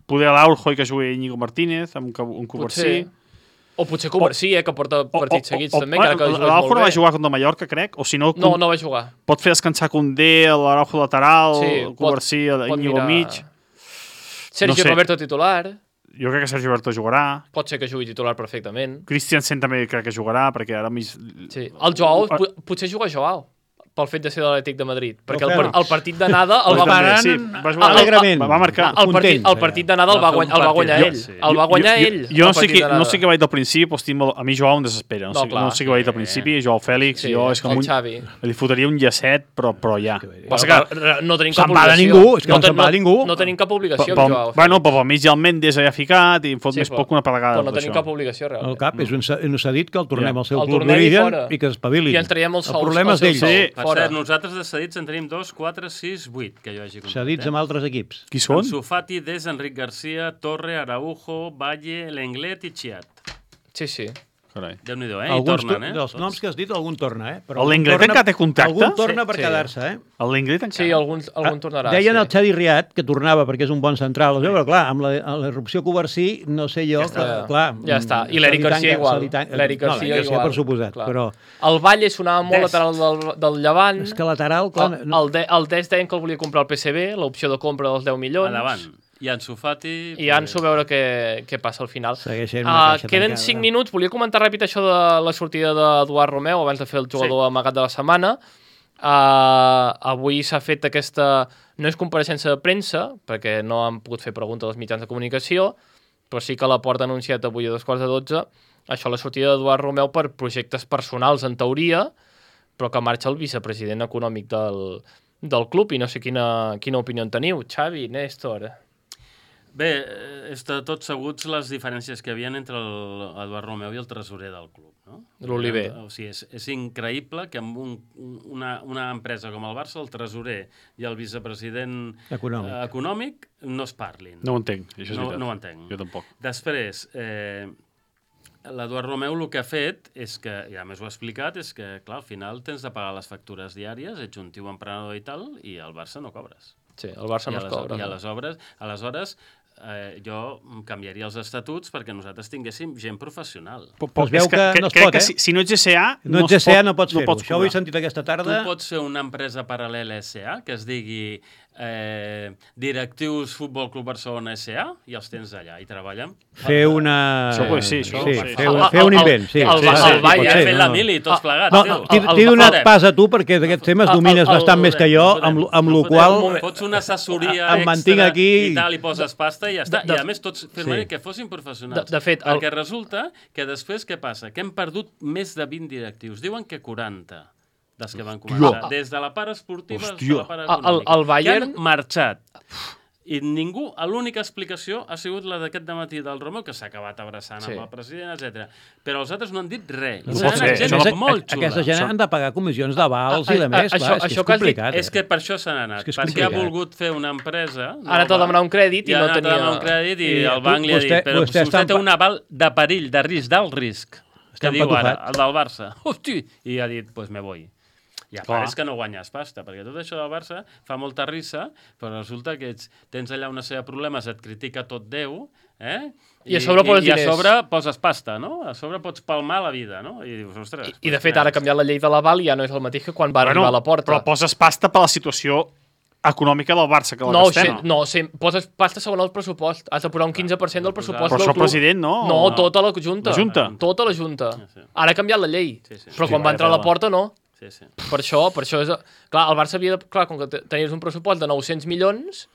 Poder l'Aurjo i que jugui Íñigo Martínez, amb un, un Covarsí. Potser. O potser Covarsí, eh, que porta partits seguits també, o, encara que jugués l'Araujo molt no va bé. jugar contra Mallorca, crec, o si no, No, no va jugar. pot fer descansar Condé, l'Araujo lateral, Sí, el Covarsí, pot Íñigo mirar- mig. Sergio No sé. Roberto titular. Jo crec que Sergio Berto jugarà. Pot ser que jugui titular perfectament. Christiansen també crec que jugarà, perquè ara mig... Sí. El Joao, Ah. po- potser juga Joao, pel fet de ser de l'Atlètic de Madrid. Perquè el, Fèlix. par el partit d'anada el Pues va... també, Faran sí, va jugar alegrament. Va, va marcar. El partit, el partit d'anada el, Va va fer un guanyar, el va guanyar partit, ell. sí. El va guanyar jo, ell. Jo, jo no, el sé partit qui, d'anada. no sé què va dir del principi, però estic molt... A mi Joao em desespera. No, No, sé, clar. no sé què va dir del Sí. principi. Joao Fèlix, Sí, jo és com el un... Xavi. Li fotria un llacet, però, però ja. Passa Però que... que no tenim cap Se'n va de obligació. ningú, és que no ten- se'n va de ningú. No tenim cap obligació Pel, amb Joao. bueno, però pel mig hi ha el Mendes allà ficat i em fot Sí, més però- poc que una pedregada. Però no tot tenim això. cap obligació, El realment. cap és un, ce- un cedit que el tornem Ja. al seu El club tornem i d'origen fora. i que s'espavili. I ens traiem els El sous. problema els és seus d'ells. sous. Sí. Per Fora. cert, nosaltres de cedits en tenim dos, quatre, sis, vuit, que jo hagi comptat. Cedits eh? amb altres equips. Qui són? Ansu Fati, Des, Enric Garcia, Torre, Araujo, Valle, Lenglet i Chiat. Sí, sí. Carai. Déu-n'hi-do, eh? I Alguns tornen, eh? dels Tots. noms que has dit, algun torna, eh? Però El algun Lenglet torna- encara té contracte? Algun torna Sí, per sí. quedar-se, eh? El Lenglet encara? Sí, algun, algun tornarà. Deien sí. el Xavi Riat, que tornava perquè és un bon central, sí. Però clar, amb la, amb la irrupció Covarsí, no sé jo, Ja està. que, clar... Ja està. I se l'Eric li Garcia tanca- igual. se li tanca- L'Eric no, Garcia l'Eric igual. per suposat, Clar. però El Valle sonava molt Des. lateral del, del Llevant. és que lateral... Clar, El, el, de, el Des deien que el volia comprar el P S B, l'opció de compra dels deu milions. Endavant. I Ansu Fati... I Ansu a veure què, què passa al final. Segueixen una Uh, caixa queden tancada. cinc minuts. Volia comentar ràpid això de la sortida d'Eduard Romeu abans de fer el jugador sí. amagat de la setmana. Uh, avui s'ha fet aquesta... No és compareixença de premsa, perquè no han pogut fer preguntes als mitjans de comunicació, però sí que la Porta ha anunciat avui a dos quarts de dotze això, la sortida d'Eduard Romeu per projectes personals, en teoria, però que marxa el vicepresident econòmic del, del club i no sé quina, quina opinió en teniu. Xavi, Néstor... Bé, està tots seguts les diferències que hi havia entre l'Eduard Romeu i el tresorer del club, no? L'Oliver. O sigui, és, és increïble que amb un, una, una empresa com el Barça, el tresorer i el vicepresident Econòmic. eh, econòmic no es parlin. No ho entenc, això és No, veritat. no ho entenc. Jo tampoc. Després, eh, l'Eduard Romeu el que ha fet és que, i a més ho ha explicat, és que, clar, al final tens de pagar les factures diàries, ets un tio emprenedor i tal, i al Barça no cobres. Sí, el Barça I no es ales- cobra. I no? aleshores, aleshores eh, jo canviaria els estatuts perquè nosaltres tinguéssim gent professional. Però, Pues veu és que, que que no es crec pot, que eh? si, si no ets G C A, No ets es G C A, pot- no pots fer-ho. pots Això ho he cobrar. sentit aquesta Tu tarda. pots fer una empresa paral·lela S A que es digui eh, Directius Futbol Club Barcelona S A i els tens allà i treballen. Fer una... Això ho- sí, això ho sí, faig. fer, El- un, fer un el- invent, sí. el- sí, el- sí, el sí, Bayern pot Ja ser, he fet la no. mili, tots plegats. No, tio. t'he el- t'he el- donat el- pas a tu perquè d'aquests temes el- domines el- bastant el- més que jo, No amb, podem, amb no lo podem. qual... Fots una assessoria Em mantinc extra aquí. i tal, i poses pasta i ja està. De- de- I a més tots firmarien Sí. que fossin professionals. De- de fet, el- Perquè resulta que després què passa? Que hem perdut més de vint directius. Diuen que quaranta dels que van començar. Des de la part esportiva fins a la part El- el- econòmica. el Bayern- Que han marxat. I ningú, l'única explicació ha sigut la d'aquest dematí del Romeu, que s'ha acabat abraçant Sí. amb el president, etcètera. Però els altres no han dit res. No És pot una ser, gent això no- molt xula. Aquesta gent han de pagar comissions d'avals A- i de a- més, això- clar, és que això és que has dit complicat. És que per això se n'ha anat. És que és perquè ha complicat. volgut fer una empresa... Ha anat a demanar un crèdit i I ha no anat a tenia- demanar un crèdit i, I el banc li ha vostè- dit però vostè vostè, està en té pa- un aval de perill, de risc, d'alt risc, que Està diu ara, empatufat. el del Barça. Hosti! I ha dit, pues me voy. I a Clar. part és que no guanyes pasta, perquè tot això del Barça fa molta risa, però resulta que ets, tens allà una sèrie de problemes, et critica tot Déu, eh? I a sobre poses i, i a diners. sobre poses pasta, no? A sobre pots palmar la vida, no? I dius, ostres... I, de fet, ara ha canviat la llei de l'aval i ja no és el mateix que quan va arribar a la porta. Però poses pasta per la situació econòmica del Barça, que la No, gastem. se, no, se, poses pasta segons el pressupost. Has de posar un quinze per cent del pressupost Però del això club. president, no? No, O- tota la Junta. La Junta? Tota la Junta. sí. Ara ha canviat la llei. Sí, sí. Però Sí, quan va vaya entrar a la tela. porta, no. Sí, sí. Per això, per això és... Clar, el Barça havia de... Clar, com que te- tenies un pressupost de nou-cents milions,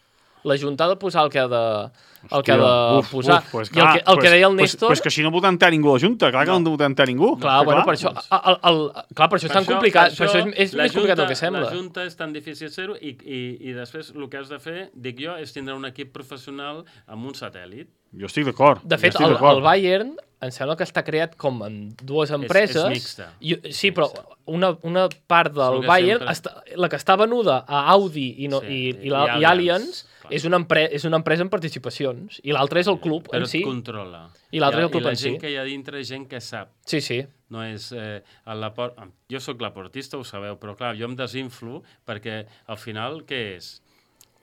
la Junta ha de posar el que ha de, el que ha de Uf, posar. uf, pues, I el que, el pues, que deia el pues, Néstor... Pues, que així no voten entrar ningú a la Junta, clar que no, no voten entrar ningú. Clar, bueno, per això, el, el, clar, per això és tan complicat, per això és, és la més complicat Junta- del que sembla. La Junta és tan difícil ser-ho i, i, i després el que has de fer, dic jo, és tindre un equip professional amb un satèl·lit. Jo estic d'acord. De fet, jo estic el, d'acord. el Bayern em sembla que està creat com en dues empreses. és mixta. I, sí, però una, una part del És el que Bayern, sempre- està, la que està venuda a Audi i, no, Sí, i, i, i la, i Allianz, Allianz clar. és una, empre, és una empresa en participacions i l'altra és el club Però en si. et controla. I l'altre és el club I la en gent si. que hi ha dintre és gent que sap. Sí, sí. No és... Eh, el laport... Jo sóc laportista, ho sabeu, però clar, jo em desinflo perquè al final què és?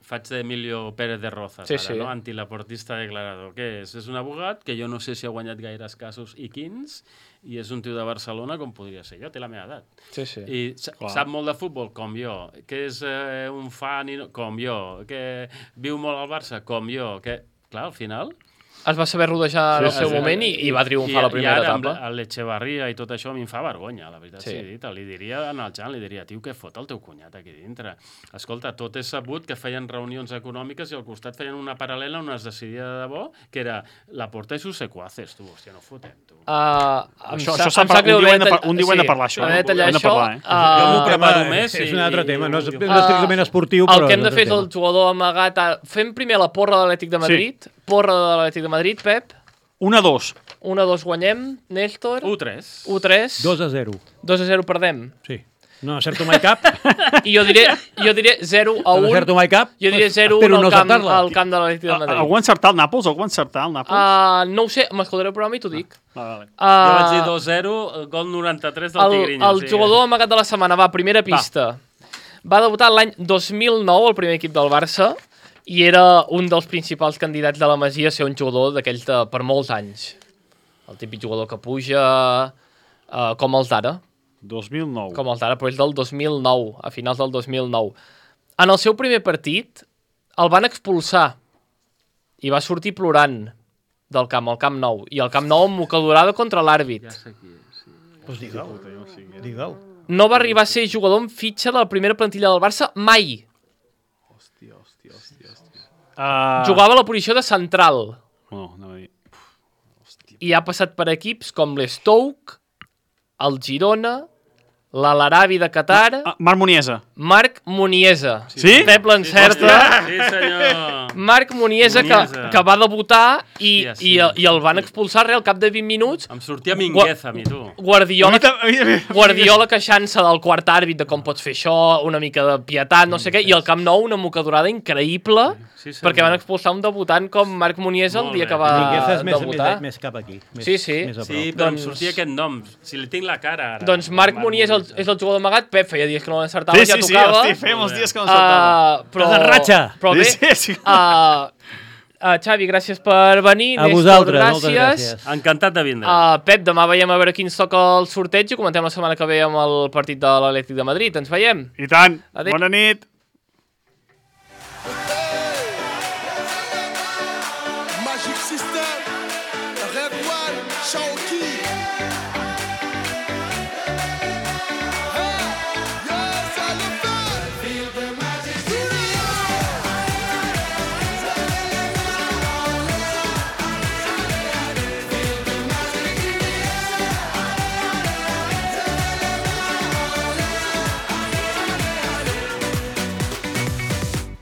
Faig d'Emilio Pérez de Rozas, Sí, ara, sí. no? Antilaportista declarador. Què és? És un abogat que jo no sé si ha guanyat gaires casos i quins, i és un tio de Barcelona com podria ser jo, té la meva edat. Sí, sí. I sa- sap molt de futbol, com jo, que és eh, un fan, i no, com jo, que viu molt al Barça, com jo, que, clar, al final... Es va saber rodejar en el Sí, seu sí. moment i, i va triomfar la primera I ara, etapa. amb el l'Echevarria i tot això a mi em fa vergonya, la veritat Sí. sí. dit. Li diria en el Jan, li diria, tio, què fot el teu cunyat aquí dintre? Escolta, tot és sabut que feien reunions econòmiques i al costat feien una paral·lela on es decidia de debò, que era la porta i sus secuaces, tu, hòstia, no fotem, tu. Uh, Això- això s'ha par- un dia ho hem de par- un dia ho hem de parlar, això, Hem de eh? detallar Hem de això. parlar, eh? Jo m'ho Uh, preparo tema, més és i- un altre i- tema, no és, i- no és estrictament esportiu, però... el que hem de és fer un és el tema. jugador amagat. A... Fem primer la porra de l'Atlètic de Madrid. Sí. Porra de l'Atlètic de Madrid, Pep. Una, dos. un a dos guanyem, Néstor. u tres. u tres. dos a zero, dos a zero perdem. sí. No acerto mai cap, I jo diré, jo diré zero a no un. acerto mai cap, Jo diré zero a un espero al no camp, acertar-la. al camp de l'Atlètic de Madrid. Algú ha encertat el Nàpols? Algú ha encertat el Nàpols? Uh, no ho sé, m'escoltaré el programa i t'ho dic. Ah, vale. Uh, Jo vaig dir dos zero, gol noranta-tres del el, Tigrinho. el jugador amagat de la setmana, va, primera pista. Va, va debutar l'any dos mil nou al primer equip del Barça i era un dels principals candidats de la Masia a ser un jugador d'aquells de per molts anys. El típic jugador que puja uh, com els d'ara, dos mil nou. com els d'ara, però és del dos mil nou, a finals del dos mil nou. En el seu primer partit el van expulsar i va sortir plorant del camp, al Camp Nou, i al Camp Nou amb mocadorada contra l'àrbit. Ja sé qui és, sí. Pues digue'l, digue'l. No va arribar a ser jugador en fitxa de la primera plantilla del Barça mai. Hòstia, hòstia, hòstia, hòstia. Uh, Jugava a la posició de central No, anava a dir... i ha passat per equips com l'Stoke, el Girona, l'Al-Arabi de Qatar, Ah, Marc Muniesa. Marc Muniesa. Sí? Pep l'encerta. Sí, senyor. Marc Muniesa, que, Muniesa. que va debutar i, Hòstia, sí. i, i el van expulsar res al cap de vint minuts. Em sortia Mingueza, a mi, tu. Guardiola, A mi tam- a mi- a mi- Guardiola queixant-se del quart àrbit de com pots fer això, una mica de pietat, no sé què, i al Camp Nou una mocadorada increïble, Sí, senyor. perquè van expulsar un debutant com Marc Muniesa el Molt dia bé. que va Mingueza és més, debutar. més, més cap aquí. Més, Sí, sí. Més a prop. Sí, però Doncs- em sortia aquest nom. Si li tinc la cara, ara. Doncs Marc Muniesa és el, és el jugador amagat. Pep feia dies que no l'encertava, Sí, ja sí, sí, tocava. hosti, feia molts dies que no saltava. Uh, però, Estàs en ratxa. però bé, Sí, sí, sí. Uh, uh, Xavi, gràcies per venir. A Néstor, vosaltres, moltes gràcies. Encantat de vindre. Uh, Pep, demà veiem a veure qui ens toca el sorteig i comentem la setmana que ve amb el partit de l'Atlètic de Madrid. Ens veiem. I tant. Adéu. Bona nit. Magic System, Red One, Shaoki. Hey, yes, I love that. Feel the magic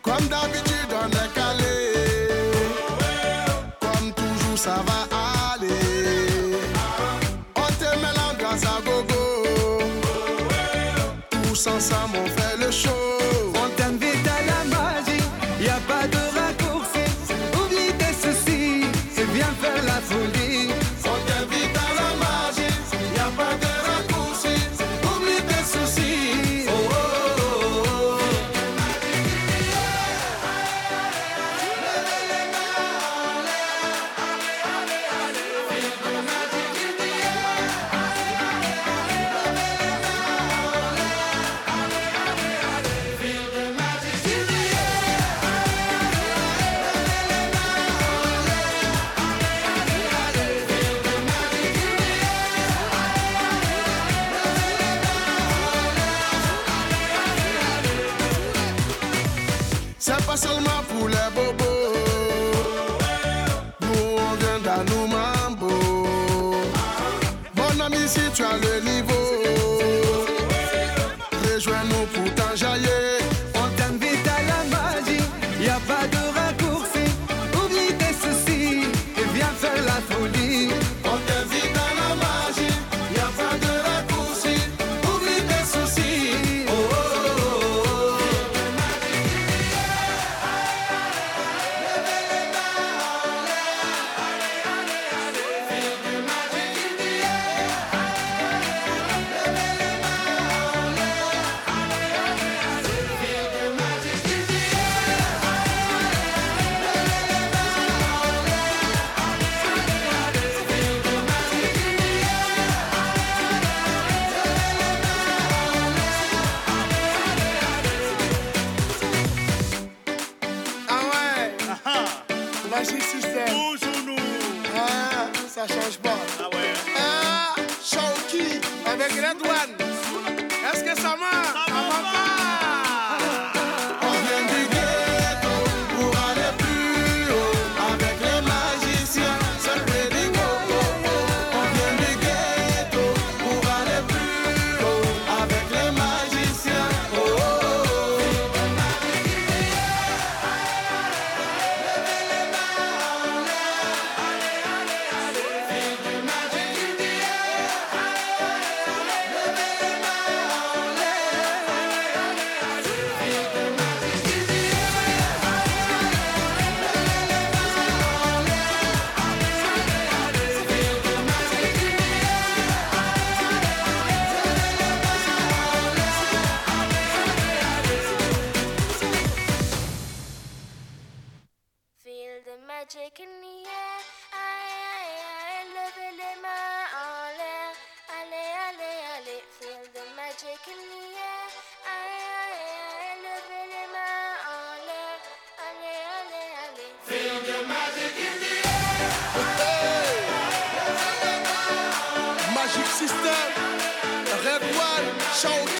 Comme d'habitude, on est calé. Comme toujours, ça va aller. On te met l'ambiance à gogo. Tous ensemble, on fait le show. On t'invite à la magie, y a pas de raccourci. Oublie tes soucis, c'est bien faire la folie. On t'invite à la magie, y a pas de raccourci. Oublie tes soucis. Oh, oh, oh, oh. C'est pas seulement pour les bobos. Nous on vient dans nos mambo. Mon ami, si tu as le niveau, rejoins-nous pour t'enjailler. On t'invite à la magie, y a pas de raccourci. Oublie tes soucis, et viens faire la folie. On t'invite à la magie, y a pas de raccourci. Oublie tes soucis. Oh, oh, oh, oh. Ah ouais. Magic System. Toujours nous. Ah, ça change pas. Ah ouais. Ah, Shaoki avec Red One. Est-ce que ça marche? Ça va pas. On vient du ghetto pour aller plus haut avec les magiciens. C'est le Pédigo. On vient du ghetto pour aller plus haut avec les magiciens. Oh, oh, oh. Feel the magic in the air. Aïe, aïe, aïe, levez les mains en l'air. Allez, allez, allez. Feel the magic in the air. Aïe, aïe, aïe, levez les mains en l'air. Allez, allez, allez. Feel the magic in the air.